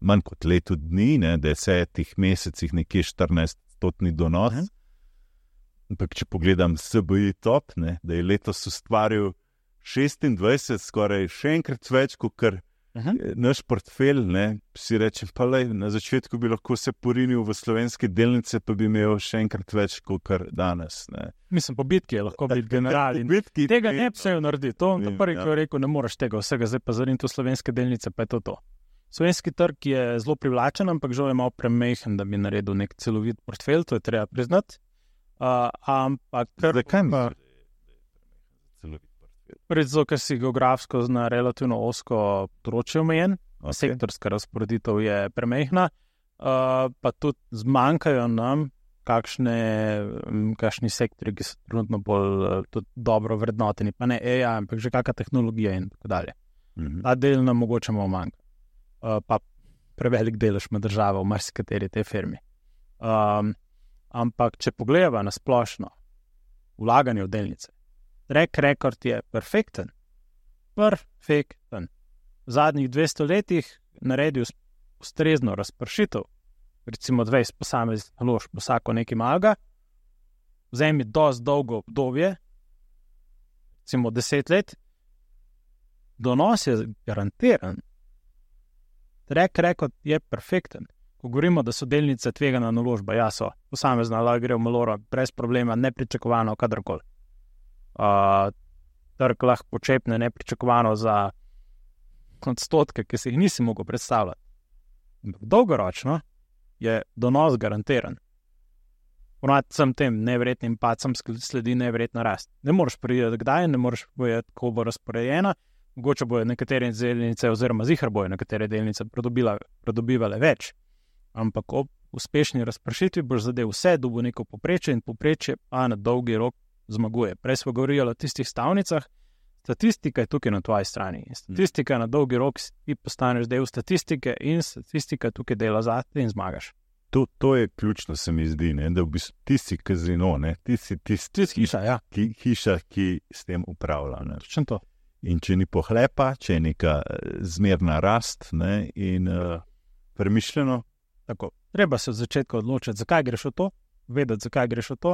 [SPEAKER 1] manj kot leto dni, ne, 10 mesecih nekje 14% donos. Ampak če pogledam SBI Top, ne, da je letos ustvaril 26, skoraj še enkrat več, kot kar naš portfelj, ne, si rečem, pa lej, na začetku bi lahko se porinil v slovenske delnice, pa bi imel še enkrat več, kot kar danes. Ne.
[SPEAKER 2] Mislim, po bitki je lahko biti general. Tega ne bi se jo naredil. To prvi, ki je rekel, ne moreš tega vsega, zdaj pa zariniti v slovenske delnice, pa je to. Slovenski trg je zelo privlačen, ampak žal je malo premehen, da bi naredil nek celovit portfelj, to je treba priznati.
[SPEAKER 1] Zakaj mi?
[SPEAKER 2] Zato, ker si geografsko zna relativno osko področje omejen, sektorska razporeditev je premehna, pa tudi zmanjkajo nam kakšni sektori, ki so trenutno bolj dobro vrednoteni, pa ne AI, ampak že kakšna tehnologija in tako dalje. Ta del nam mogoče malo manjka. Pa prevelik delež med državo v marsikateri te firmi. Ampak, če pogledava na splošno vlaganje v delnice, track record je perfekten. V zadnjih 200 letih naredil ustrezno razpršitev, recimo 20 posameznih naložb, vsako nekaj malega, vzemi dosti dolgo obdobje, recimo 10 let, donos je garantiran. Track record je perfekten. Ko govorimo, da so delnice tvegana naložba, ja so, posamezna lahko gre v maloro, brez problema, nepričakovano, kadarkoli. Trg lahko počepne nepričakovano za odstotke, ki si jih nisi mogel predstavljati. Dolgoročno je donos garantiran. Ponavadi sem tem neverjetnim padcem sledi neverjetna rast. Ne moreš priti kdaj, ne moreš povedati, kako bo razporejena, mogoče bojo nekatere delnice oziroma zihar bojo nekatere delnice pridobivale več. Ampak ob uspešni razpršitvi boš zadev vse, dobil neko poprečje in poprečje pa na dolgi rok zmaguje. Prej smo govorili o tistih stavnicah, statistika je tukaj na tvoji strani. Statistika na dolgi rok ti postaneš del statistike in statistika tukaj dela zate in zmagaš.
[SPEAKER 1] To je ključno, se mi zdi, ne? Da v bistvu ti si kazino, ne? Ti si
[SPEAKER 2] hiša, ja.
[SPEAKER 1] Hiša, ki s tem upravlja.
[SPEAKER 2] Točno to.
[SPEAKER 1] In če ni pohlepa, če je neka zmerna rast, ne? In premišljeno.
[SPEAKER 2] Tako, treba se od začetka odločiti, zakaj greš v to, vedeti, zakaj greš v to,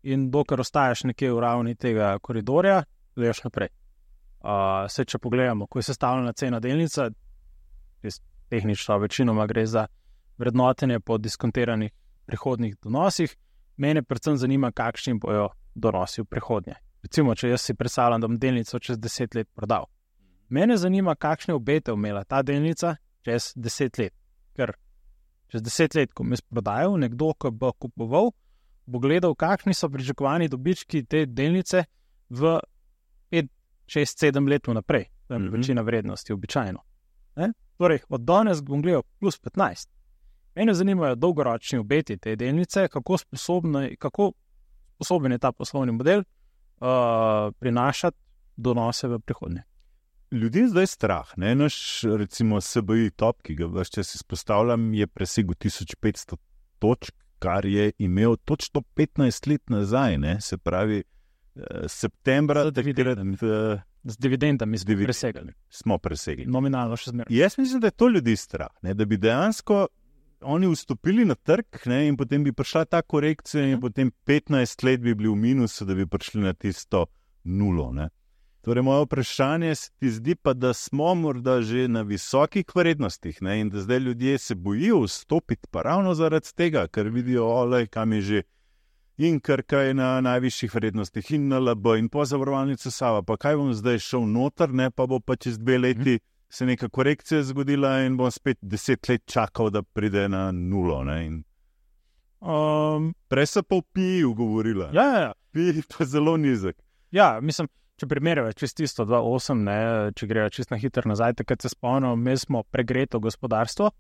[SPEAKER 2] in dokler ostaješ nekje v ravni tega koridorja, gledaš naprej. Če pogledamo, ko je sestavljena cena delnica, tehnično večinoma gre za vrednotenje po diskontiranih prihodnih donosih, mene predvsem zanima, kakšni bojo donosi v prihodnje. Recimo, če jaz si predstavljam, da bom delnico čez 10 let prodal. Mene zanima, kakšne obete imela ta delnica čez 10 let, ker čez 10 let, ko me sprodajal, nekdo, ko bo kupoval, bo gledal, kakšni so pričakovani dobički te delnice v 5, 6, 7 let naprej. To je večina vrednosti, običajno. Torej, od danes bom gledal plus 15. Mene zanimajo dolgoročni obeti te delnice, kako sposoben je ta poslovni model prinašati donose v prihodnje.
[SPEAKER 1] Ljudi je zdaj strah, ne? Naš, recimo, SBI top, ki ga vse čas izpostavljam, je presegel 1500 točk, kar je imel točno 15 let nazaj, ne? Se pravi, septembra.
[SPEAKER 2] Z dividendami
[SPEAKER 1] smo presegli.
[SPEAKER 2] Nominalno še zmeraj.
[SPEAKER 1] Jaz mislim, da je to ljudi strah, ne? Da bi dejansko oni vstopili na trg, ne? In potem bi prišla ta korekcija in potem 15 let bi bili v minusu, da bi prišli na tisto nulo, ne? Torej, moje vprašanje se ti zdi pa, da smo morda že na visokih vrednostih, ne? In da zdaj ljudje se bojijo vstopiti pa ravno zaradi tega, ker vidijo, kam je že in Krka je na najvišjih vrednostih in NLB in pozavarovalnica Sava, pa kaj bom zdaj šel noter, ne? Pa bo pa čez 2 leti se neka korekcija zgodila in bom spet 10 let čakal, da pride na nulo, ne? In prej se pa v PI-ju govorila.
[SPEAKER 2] Ja.
[SPEAKER 1] PI pa zelo nizek.
[SPEAKER 2] Ja, mislim, če primerjava čist isto 2.8, ne, če grejo čist na hitro nazaj, takrat se spomnim, mi smo pregreto gospodarstvo,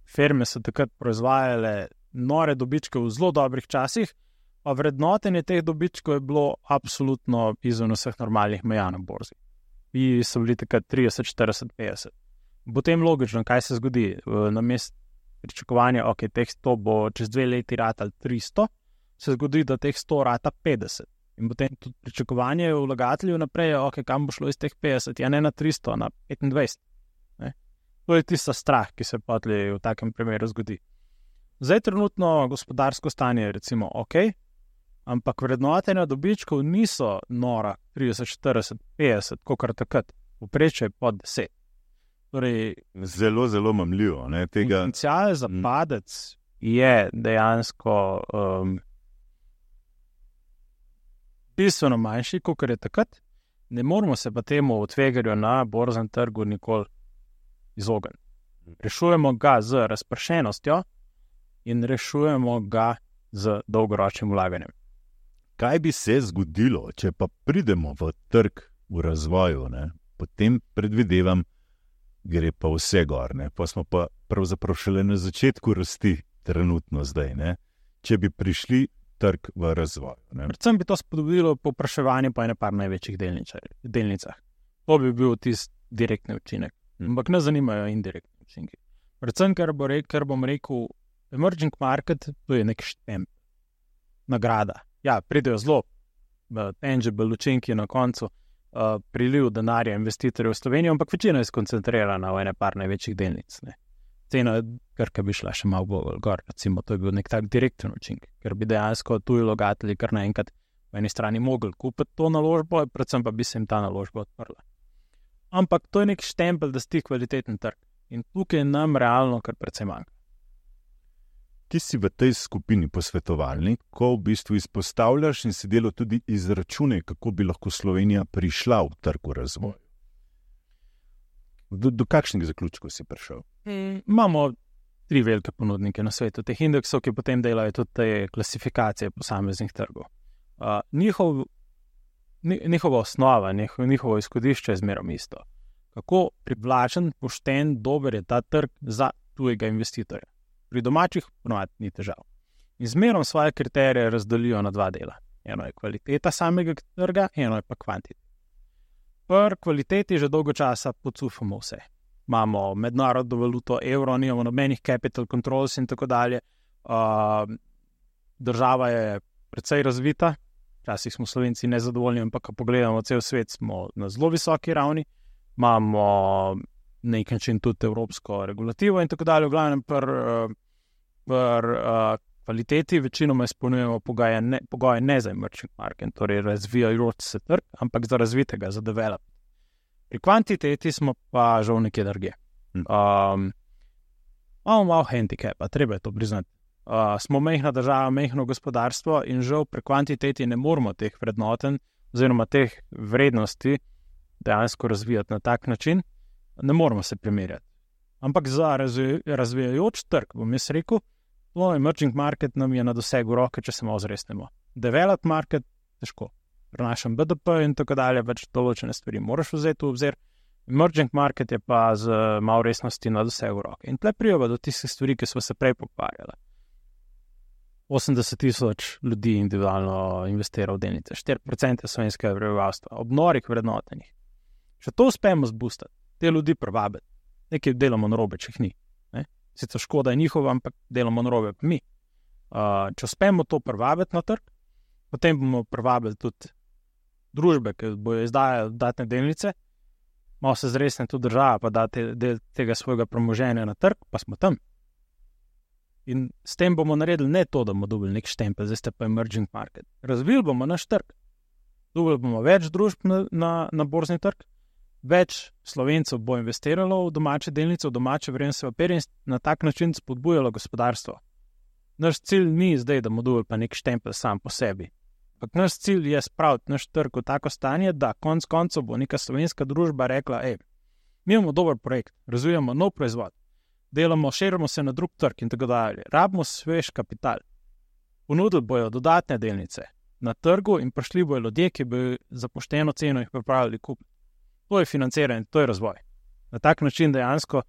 [SPEAKER 2] firme so takrat proizvajale nore dobičke v zelo dobrih časih, pa vrednotenje teh dobičkov je bilo absolutno izven vseh normalnih meja na borzi. I so bili takrat 30, 40, 50. Potem logično, kaj se zgodi, namesto pričakovanja, teh 100 bo čez 2 leti ratal 300, se zgodi, da teh 100 rata 50. In potem tudi pričakovanje vlagateljev naprej, kam bo šlo iz teh 50, ja ne na 300, na 25. Ne? To je tista strah, ki se potli v takem primeru zgodi. Zdaj trenutno gospodarsko stanje je recimo ampak vrednotenja dobičkov niso nora 30, 40, 50, kokar takrat, povprečje je pod 10. Torej,
[SPEAKER 1] zelo, zelo mamljivo.
[SPEAKER 2] Potencial za padec je dejansko bistveno manjši, kot je takrat. Ne moramo se pa temu tveganju na borznem trgu nikoli izogniti. Rešujemo ga z razpršenostjo in rešujemo ga z dolgoročnim vlaganjem.
[SPEAKER 1] Kaj bi se zgodilo, če pa pridemo v trg v razvoju, ne? Potem predvidevam, gre pa vse gor, ne? Pa smo pa pravzaprav šele na začetku rasti trenutno zdaj, ne? Če bi prišli trg v razvoj.
[SPEAKER 2] Predvsem bi to spodbudilo povpraševanje po ene par največjih delnicah. To bi bil tisti direktni učinek. Ampak ne zanimajo indirektni učinki. Predvsem, ker bom rekel, emerging market, to je nek štemp, nagrada. Ja, pridejo zelo tangible učinki na koncu, priliv denarja investitorjev v Slovenijo, ampak večina je skoncentrirana v ene par največjih delnic. Ne. Cena Krke bi šla še malo bolj gor, recimo, to je bil nek tak direkten učinek, ker bi dejansko tuji vlagatelji kar naenkrat po eni strani mogli kupiti to naložbo, predvsem pa bi se jim ta naložba odprla. Ampak to je nek štempelj, da sti kvaliteten trg. In tukaj nam realno kar precej manjka.
[SPEAKER 1] Ti si v tej skupini posvetovalni, ko v bistvu izpostavljaš in si delo tudi izračune, kako bi lahko Slovenija prišla v trg v razvoj. Do kakšnih zaključkov si prišel?
[SPEAKER 2] Imamo 3 velike ponudnike na svetu teh indeksov, ki potem delajo tudi te klasifikacije posameznih trgov. Njihova osnova, njihovo izhodišče je zmeraj isto. Kako privlačen, pošten, dober je ta trg za tujega investitorja. Pri domačih ponovadi ni težav. In zmeraj svoje kriterije razdelijo na 2 dela. Eno je kvaliteta samega trga, eno je pa kvantiteta. Pri kvaliteti že dolgo časa pocufamo vse. Imamo mednarodno valuto, evro, nimamo nobenih capital controls in tako dalje. Država je precej razvita, včasih smo Slovenci nezadovoljni, ampak ko pogledamo cel svet, smo na zelo visoki ravni. Imamo na nek način tudi evropsko regulativo in tako dalje. V glavnem kvaliteti večinoma izpolnjujemo pogoje ne za emerging market, torej razvijajoč se trg, ampak za razvitega, za develop. Pri kvantiteti smo pa žal nekje drugje. Imamo malo handicapa, treba je to priznati. Smo majhna država, majhno gospodarstvo in žal pri kvantiteti ne moramo teh vrednoten oziroma teh vrednosti dejansko razvijati na tak način, ne moramo se primerjati. Ampak za razvijajoč trg, bom jaz rekel, to emerging market nam je na dosegu roke, če se malo zresnemo. Developed market, težko. Pri našem BDP in tako dalje, več določene stvari moraš vzeti v obzir. Emerging market je pa z malo resnosti na vse v roke. In tle prijava do tistih stvari, ki smo se prej pogovarjali. 80,000 ljudi individualno investira v delnice, 4% slovenskega prebivalstva, ob norih vrednotenih. Če to uspemo zboostati, te ljudi privabiti, nekaj delamo narobe, če jih ni. Sicer škoda je njihova, ampak delamo narobe pa mi. Če uspemo to privabiti na trg, potem bomo privabili tudi družbe, ki bojo izdajali dodatne delnice, malo se zresne tudi država, pa da del tega svojega premoženja na trg, pa smo tam. In s tem bomo naredili ne to, da bomo dobili nek štempelj, zdaj ste pa emerging market. Razvili bomo naš trg. Dobili bomo več družb na borzni trg, več Slovencev bo investiralo v domače delnice, v domače vrednostne papirje in na tak način spodbujalo gospodarstvo. Naš cilj ni zdaj, da bomo dobili pa nek štempelj sam po sebi. Ampak naš cilj je spraviti naš trg v tako stanje, da konec koncev bo neka slovenska družba rekla, mi imamo dober projekt, razvijamo nov proizvod, delamo, širimo se na drug trg in tako dalje. Rabimo svež kapital. Ponudili bojo dodatne delnice na trgu in prišli bojo ljudje, ki bi za pošteno ceno jih pripravili kupiti. To je financiranje, to je razvoj. Na tak način dejansko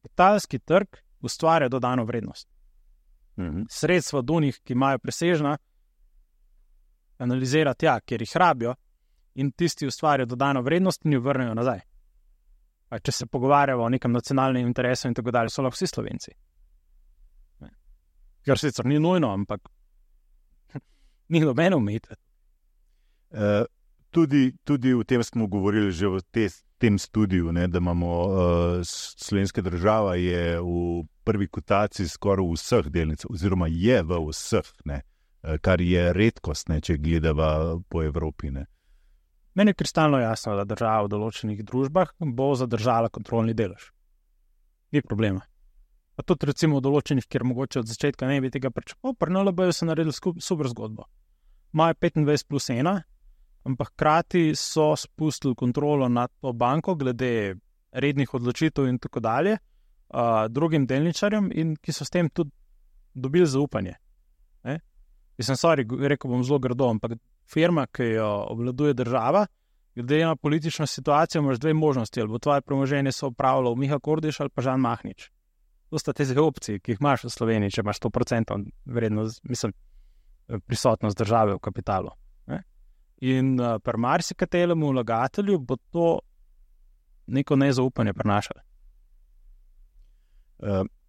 [SPEAKER 2] kapitalski trg ustvarja dodano vrednost. Sredstva do njih, ki imajo presežna, analizira tja, kjer jih rabijo in tisti ustvarjajo dodano vrednost in jo vrnejo nazaj. Pa če se pogovarjamo o nekem nacionalnem interesu in tako dalje, so lahko vsi Slovenci. Kar sicer ni nujno, ampak ni nobeno omejitve.
[SPEAKER 1] Tudi o tem smo govorili že v tem studiu, ne, da imamo slovenska država je v prvi kotaciji skoraj v vseh delnicah, oziroma je v vseh, ne, kar je redkost, ne, če gledava po Evropi. Ne.
[SPEAKER 2] Meni je kristalno jasno, da država v določenih družbah bo zadržala kontrolni delež. Ni problema. Pa tudi recimo v določenih, kjer mogoče od začetka ne bi tega pričakoval, pri NLB-ju so naredili super zgodbo. Imajo 25+1, ampak hkrati so spustili kontrolo nad to banko glede rednih odločitev in tako dalje drugim delničarjem in ki so s tem tudi dobili zaupanje. Rekel bom zelo grdo, ampak firma, ki jo obvladuje država, glede na politično situacijo imaš dve možnosti, ali bo tvoje premoženje se upravljalo Miha Kordiš ali pa Žan Mahnič. To sta te opcije, ki jih imaš v Sloveniji, če imaš 100% vrednost, prisotnost države v kapitalu. In pri marsikateremu vlagatelju bo to neko nezaupanje prinašalo.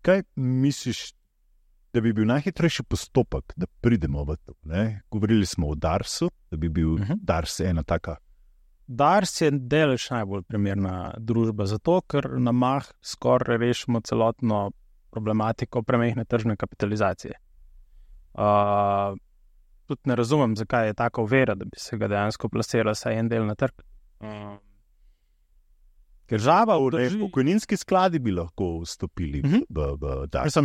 [SPEAKER 1] Kaj misliš, da bi bil najhitrejši postopek, da pridemo v to? Ne? Govorili smo o Darsu, da bi bil Dars ena taka.
[SPEAKER 2] Dars je deleč najbolj primerna družba, zato ker na mah skoraj rešimo celotno problematiko premehne tržne kapitalizacije. Tudi ne razumem, zakaj je taka ovira, da bi se ga dejansko plasirala saj en del na trg. Ker žava
[SPEAKER 1] pokojninski skladi bi lahko vstopili v Dars.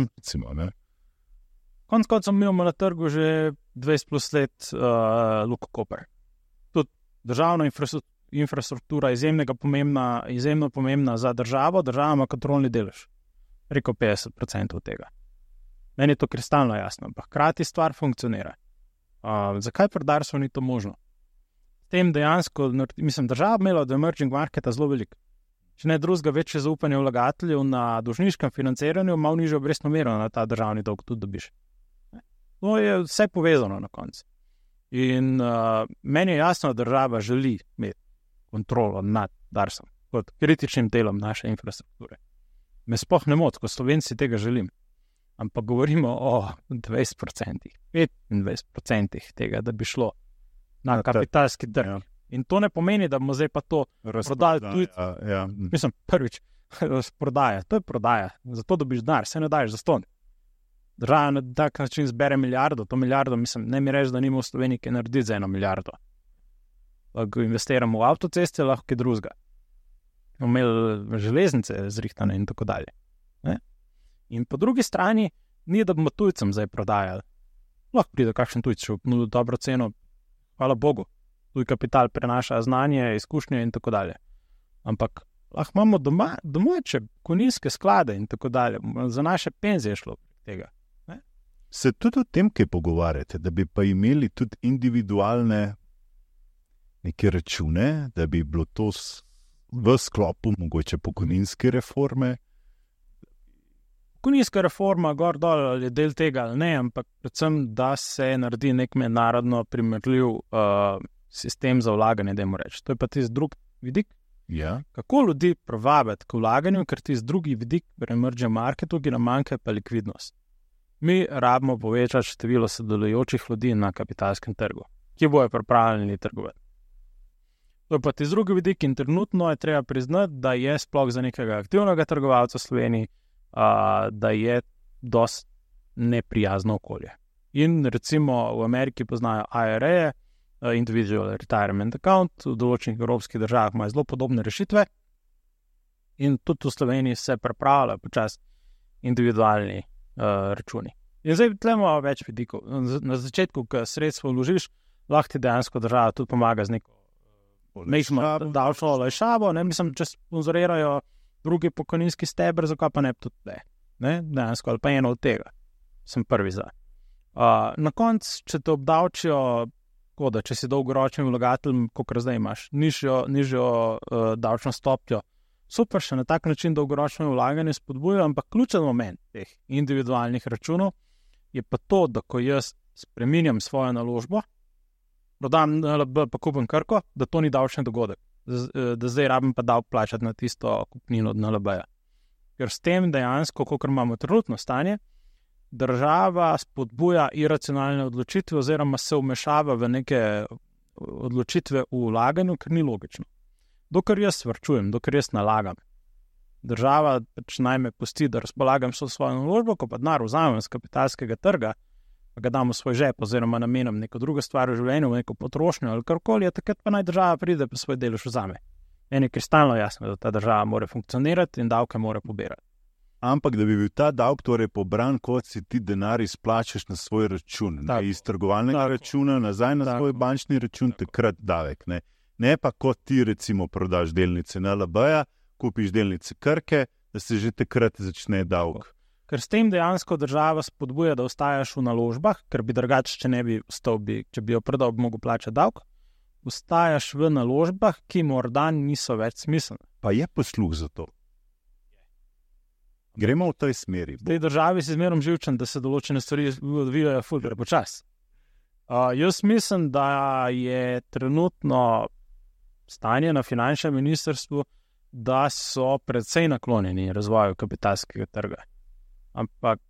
[SPEAKER 2] Konec koncev imamo na trgu že 20+ let Luko Koper. Tudi državna infrastruktura je izjemno pomembna za državo, država ima kontrolni delež. Preko 50% od tega. Meni je to kristalno jasno, ampak hkrati stvar funkcionira. Zakaj pri Darsu ni to možno? S tem dejansko, država imela od emerging marketa zelo veliko. Če ne drugega, večje zaupanje vlagateljev na dolžniškem financiranju, malo nižjo obrestno mero na ta državni dolg tudi dobiš. To je vse povezano na koncu. In meni je jasno, da država želi imeti kontrolo nad Darsom kot kritičnim delom naše infrastrukture. Me sploh ne moti, ko Slovenci tega želim. Ampak govorimo o 20%, 25% tega, da bi šlo na kapitalski trg. Ja. In to ne pomeni, da bomo zdaj pa to prodali tudi. Prvič, prodaja, to je prodaja. Zato dobiš denar, se ne daješ zastonj. Država na tak način zbere milijardo, to milijardo, ne mi reči, da nima v Sloveniji kaj narediti za 1 milijardo. Ko investiramo v avtoceste, lahko kaj drugega. Imeli železnice zrihtane in tako dalje. In po drugi strani, ni da bomo tujcem zdaj prodajali. Lahko pride kakšen tujc, če bo dobro ceno, hvala Bogu. Tuj kapital prenaša znanje, izkušnje in tako dalje. Ampak lahko imamo domače pokojninske sklade in tako dalje. Za naše penzije šlo tega. Ne?
[SPEAKER 1] Se tudi o tem, kaj pogovarjate, da bi pa imeli tudi individualne neke račune, da bi bilo to v sklopu mogoče pokojninske reforme?
[SPEAKER 2] Pokojninska reforma, gor dol je del tega ali ne, ampak predvsem, da se naredi nek mednarodno primerljiv sistem za vlaganje, dajmo reči. To je pa tisti drug vidik.
[SPEAKER 1] Ja.
[SPEAKER 2] Kako ljudi privabiti k vlaganju, ker tisti drugi vidik v emerging marketu, ki nam manjka, pa likvidnost. Mi rabimo povečati število sodelujočih ljudi na kapitalskem trgu, ki bojo pripravljeni trgovati. To je pa tisti drugi vidik in trenutno je treba priznati, da je sploh za nekega aktivnega trgovalca v Sloveniji, da je dosti neprijazno okolje. In recimo v Ameriki poznajo IRA, Individual Retirement Account, v določenih evropskih državah imajo zelo podobne rešitve in tudi v Sloveniji se pripravljajo počasi individualni računi. In zdaj tlemo več vidikov. Na začetku, ko sredstvo vložiš, lahko ti dejansko država tudi pomaga z neko davčno olajšavo, mislim, če sponzorirajo drugi pokojninski steber, zakaj pa ne tudi ne, dejansko, ali pa eno od tega. Sem prvi za. Na koncu, če te obdavčijo, da če si dolgoročnim vlagateljem, kot zdaj imaš, nižjo davčno stopnjo, super, še na tak način dolgoročno vlaganje spodbujajo, ampak ključen moment teh individualnih računov je pa to, da ko jaz spreminjam svojo naložbo, prodam NLB pa kupim Krko, da to ni davčni dogodek, da zdaj rabim pa davek plačati na tisto kupnino od NLB-ja. Ker s tem dejansko, kakor imamo trenutno stanje, država spodbuja iracionalne odločitve oziroma se vmešava v neke odločitve v vlaganju, ker ni logično. Dokler jaz varčujem, dokler jaz nalagam, država pač naj me pusti, da razpolagam so svojo naložbo, ko pa denar vzamem z kapitalskega trga, pa ga dam v svoj žep oziroma namenam neko drugo stvar v življenju, neko potrošnjo ali karkoli, takrat pa naj država pride pa svoj delež vzame. Meni je kristalno jasno, da ta država mora funkcionirati in davke mora pobirati.
[SPEAKER 1] Ampak, da bi bil ta davek torej pobran, kot si ti denar izplačaš na svoj račun, iz trgovalnega računa nazaj na svoj bančni račun, takrat davek. Ne pa kot ti recimo prodaš delnice NLB-ja, kupiš delnice Krke, da se že takrat začne davek.
[SPEAKER 2] Ker s tem dejansko država spodbuja, da ostajaš v naložbah, ker bi drugače, če ne bi ostal, če bi jo prodal, bi mogel plačati davek, ostajaš v naložbah, ki morda niso več smiselne.
[SPEAKER 1] Pa je posluh za to. Gremo v tej smeri.
[SPEAKER 2] V tej državi si zmerom živčen, da se določene stvari odvijajo ful prepočasi. Jaz mislim, da je trenutno stanje na finančnem ministrstvu, da so precej naklonjeni razvoju kapitalskega trga. Ampak,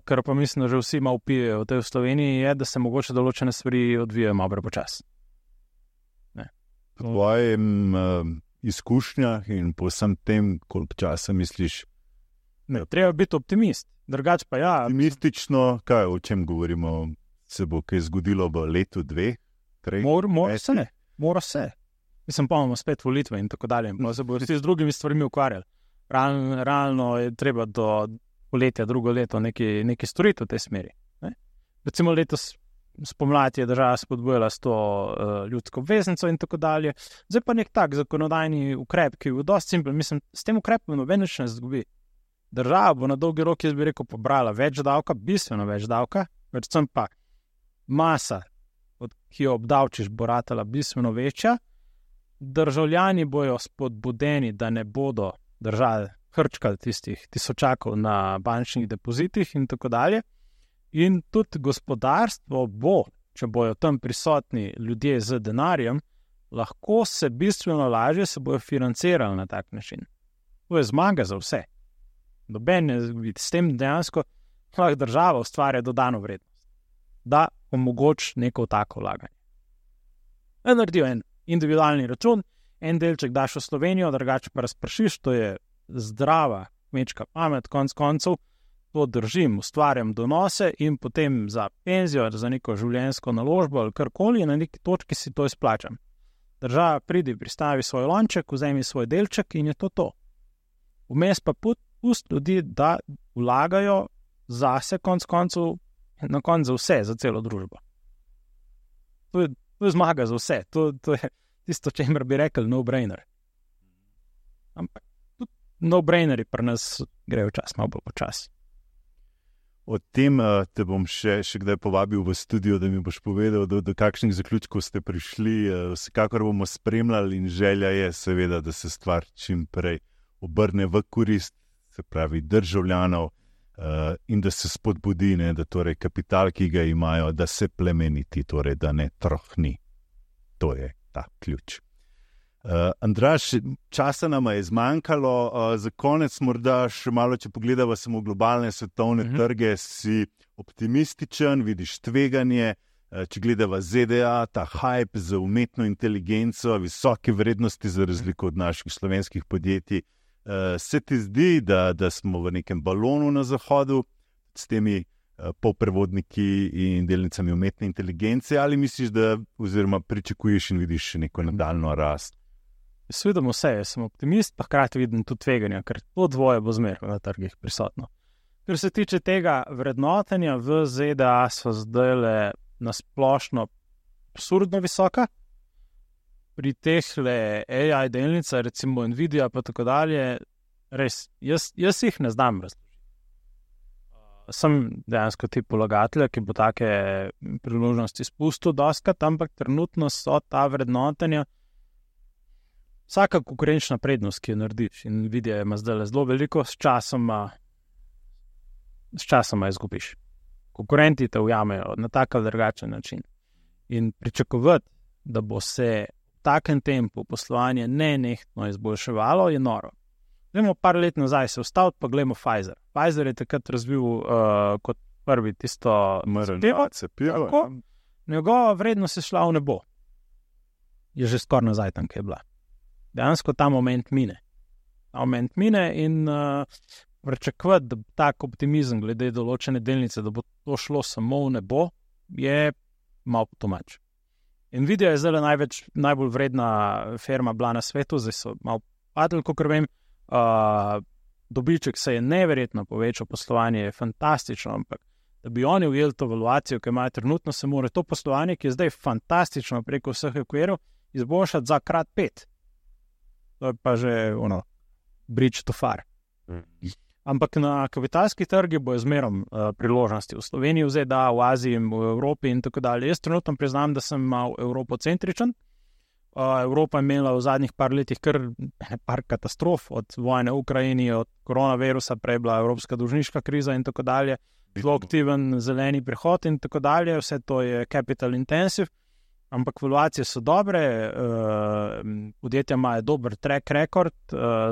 [SPEAKER 2] kar pa mislim, da že vsi malo pijejo v tej Sloveniji, je, da se mogoče določene stvari odvijajo malo prepočasi.
[SPEAKER 1] Po tvojem izkušnjah in po vsem tem, koliko časa misliš?
[SPEAKER 2] Ne, treba biti optimist, drugače pa ja.
[SPEAKER 1] Optimistično, kaj, o čem govorimo, se bo kaj zgodilo v letu, 2, 3?
[SPEAKER 2] Mora se. Mislim, pa imamo spet volitve in tako dalje. Se bojo vsi z drugimi stvarmi ukvarjali. Realno je treba do poletja, drugo leto nekaj storiti v tej smeri. Ne? Recimo letos spomladi je država spodbujala s to ljudsko obveznico in tako dalje. Zdaj pa nek tak zakonodajni ukrep, ki je dosti simpel. Mislim, s tem ukrepom noben nič ne zgubi. Država bo na dolgi rok, jaz bi rekel, pobrala več davka, bistveno več davka, predvsem pa masa, ki jo obdavčiš, bo ratala bistveno večja. Državljani bojo spodbudeni, da ne bodo držali hrčkali tistih tisočakov na bančnih depozitih in tako dalje. In tudi gospodarstvo bo, če bojo tam prisotni ljudje z denarjem, lahko se bistveno lažje se bojo financirali na tak način. To je zmaga za vse. S tem dejansko lahko država ustvarja dodano vrednost, da omogoči neko tako vlaganje. Naredijo en individualni račun, en delček daš v Slovenijo, drugače pa razpršiš, to je zdrava kmečka pamet, konc koncev, to držim, ustvarjam donose in potem za penzijo, za neko življenjsko naložbo ali karkoli, na neki točki si to izplačam. Država pridi, pristavi svoj lonček, vzemi svoj delček in je to. Vmes pa pusti ljudi, da vlagajo zase, konc koncev, na koncu za vse, za celo družbo. To je zmaga za vse. To je tisto, čemer bi rekel no-brainer. Ampak tudi no-braineri pri nas grejo čas, malo bolj počasi.
[SPEAKER 1] O tem te bom še kdaj povabil v studio, da mi boš povedal, do kakšnih zaključkov ste prišli. Vsekakor bomo spremljali in želja je seveda, da se stvar čim prej obrne v korist, se pravi državljanov, in da se spodbudi, ne, da torej kapital, ki ga imajo, da se plemeniti, torej da ne trohni. To je ta ključ. Andraž, časa nama je zmanjkalo, za konec morda še malo, če pogledava samo globalne svetovne trge, si optimističen, vidiš tveganje, če gledava ZDA, ta hype za umetno inteligenco, visoke vrednosti za razliko od naših slovenskih podjetij, se ti zdi, da smo v nekem balonu na zahodu s temi polprevodniki in delnicami umetne inteligence, ali misliš, da oziroma pričakuješ in vidiš še neko nadaljno rast?
[SPEAKER 2] Jaz vidim vse, jaz sem optimist, pa hkrati vidim tudi tveganja, ker to dvoje bo zmeraj na trgih prisotno. Ker se tiče tega vrednotenja, v ZDA so zdajle nasplošno absurdno visoka. Pri tehle AI delnica, recimo Nvidia pa tako dalje, res, jaz jih ne znam razložiti. Sem dejansko tip vlagatelja, ki bo take priložnosti spustil doskrat, ampak trenutno so ta vrednotenja vsaka konkurenčna prednost, ki jo narediš. In Nvidia ima zdaj zelo veliko, s časoma izgubiš. Konkurenti te ujamejo na tak ali drugačen način. In pričakovati, da bo se v takem tempu poslovanje nenehno izboljševalo, je noro. Gremo par let nazaj se ustaviti, pa gledamo Pfizer. Pfizer je takrat razvil kot prvi tisto
[SPEAKER 1] cepivo.
[SPEAKER 2] Njegova vrednost je šla v nebo. Je že skoraj nazaj tam, kjer je bila. Dejansko ta moment mine. In pričakovati, da tak optimizem glede določene delnice, da bo to šlo samo v nebo, je malo potomač. Nvidia je zdaj najbolj vredna firma bila na svetu, zdaj so malo padli, kakor vem. Dobiček se je neverjetno povečal, poslovanje je fantastično, ampak da bi oni ujeli to valuacijo, ki imajo trenutno, se mora to poslovanje, ki je zdaj fantastično preko vseh okvirov, izboljšati za krat 5. To je pa že bridge too far. Ampak na kapitalskih trgih bo zmerom priložnosti v Sloveniji, v ZDA, v Aziji, v Evropi in tako dalje. Jaz trenutno priznam, da sem mal evropocentričen. Evropa je imela v zadnjih par letih kar par katastrof, od vojne v Ukrajini, od koronavirusa, prej bila evropska dolžniška kriza in tako dalje, zelo aktiven zeleni prehod in tako dalje, vse to je capital intensive, ampak valuacije so dobre, podjetja imajo dober track record,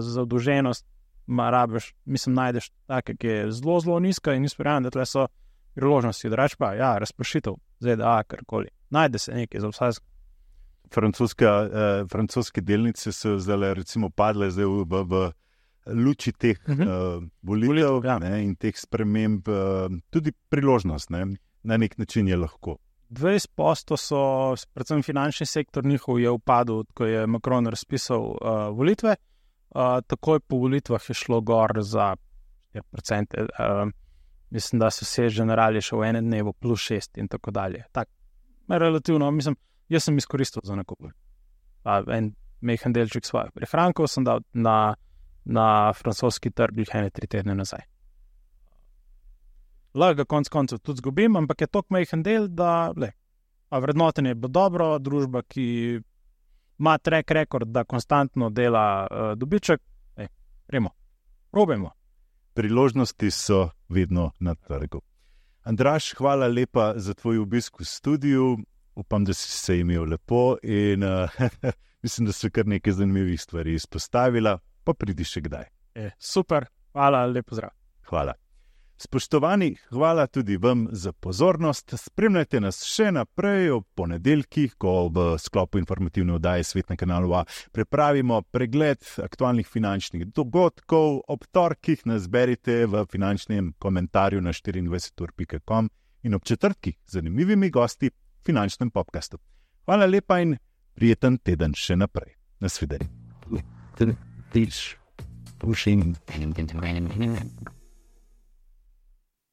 [SPEAKER 2] zadolženost najdeš take, ki je zelo, zelo nizka in izpirajam, da tle so priložnosti, da reč pa, razpršitev, ZDA, karkoli, najde se nekaj za vsaj.
[SPEAKER 1] Francoske delnice so zdaj recimo padle v luči teh volitev in teh sprememb, tudi priložnost, ne? Na nek način je lahko.
[SPEAKER 2] 20% so, predvsem finančni sektor njihov je upadel, ko je Macron razpisal volitve, takoj po volitvah je šlo gor za 4%, mislim, da so se generali še v enem dnevu +6 in tako dalje. Tak, relativno, jaz sem izkoristil za nakup. En mehen delček svojih prihrankov sem dal na francoski trg 3 tedne nazaj. Lahko ga konc koncev tudi zgubim, ampak je toliko mehen del, da vrednotenje bo dobro, družba, ki ima track record, da konstantno dela dobiček, probajmo.
[SPEAKER 1] Priložnosti so vedno na trgu. Andraž, hvala lepa za tvoj obisk v studiu. Upam, da si se imel lepo in mislim, da so kar nekaj zanimivih stvari izpostavila, pa pridi še kdaj.
[SPEAKER 2] Super, hvala, lepo zdrav.
[SPEAKER 1] Hvala. Spoštovani, hvala tudi vam za pozornost. Spremljajte nas še naprej ob ponedeljkih, ko v sklopu informativne oddaje Svet na kanalu A pripravimo pregled aktualnih finančnih dogodkov. Ob torkih nas berite v finančnem komentarju na 24ur.com in ob četrtkih z zanimivimi gosti v finančnem podcastu. Hvala lepa in prijeten teden še naprej. Nasvidenje.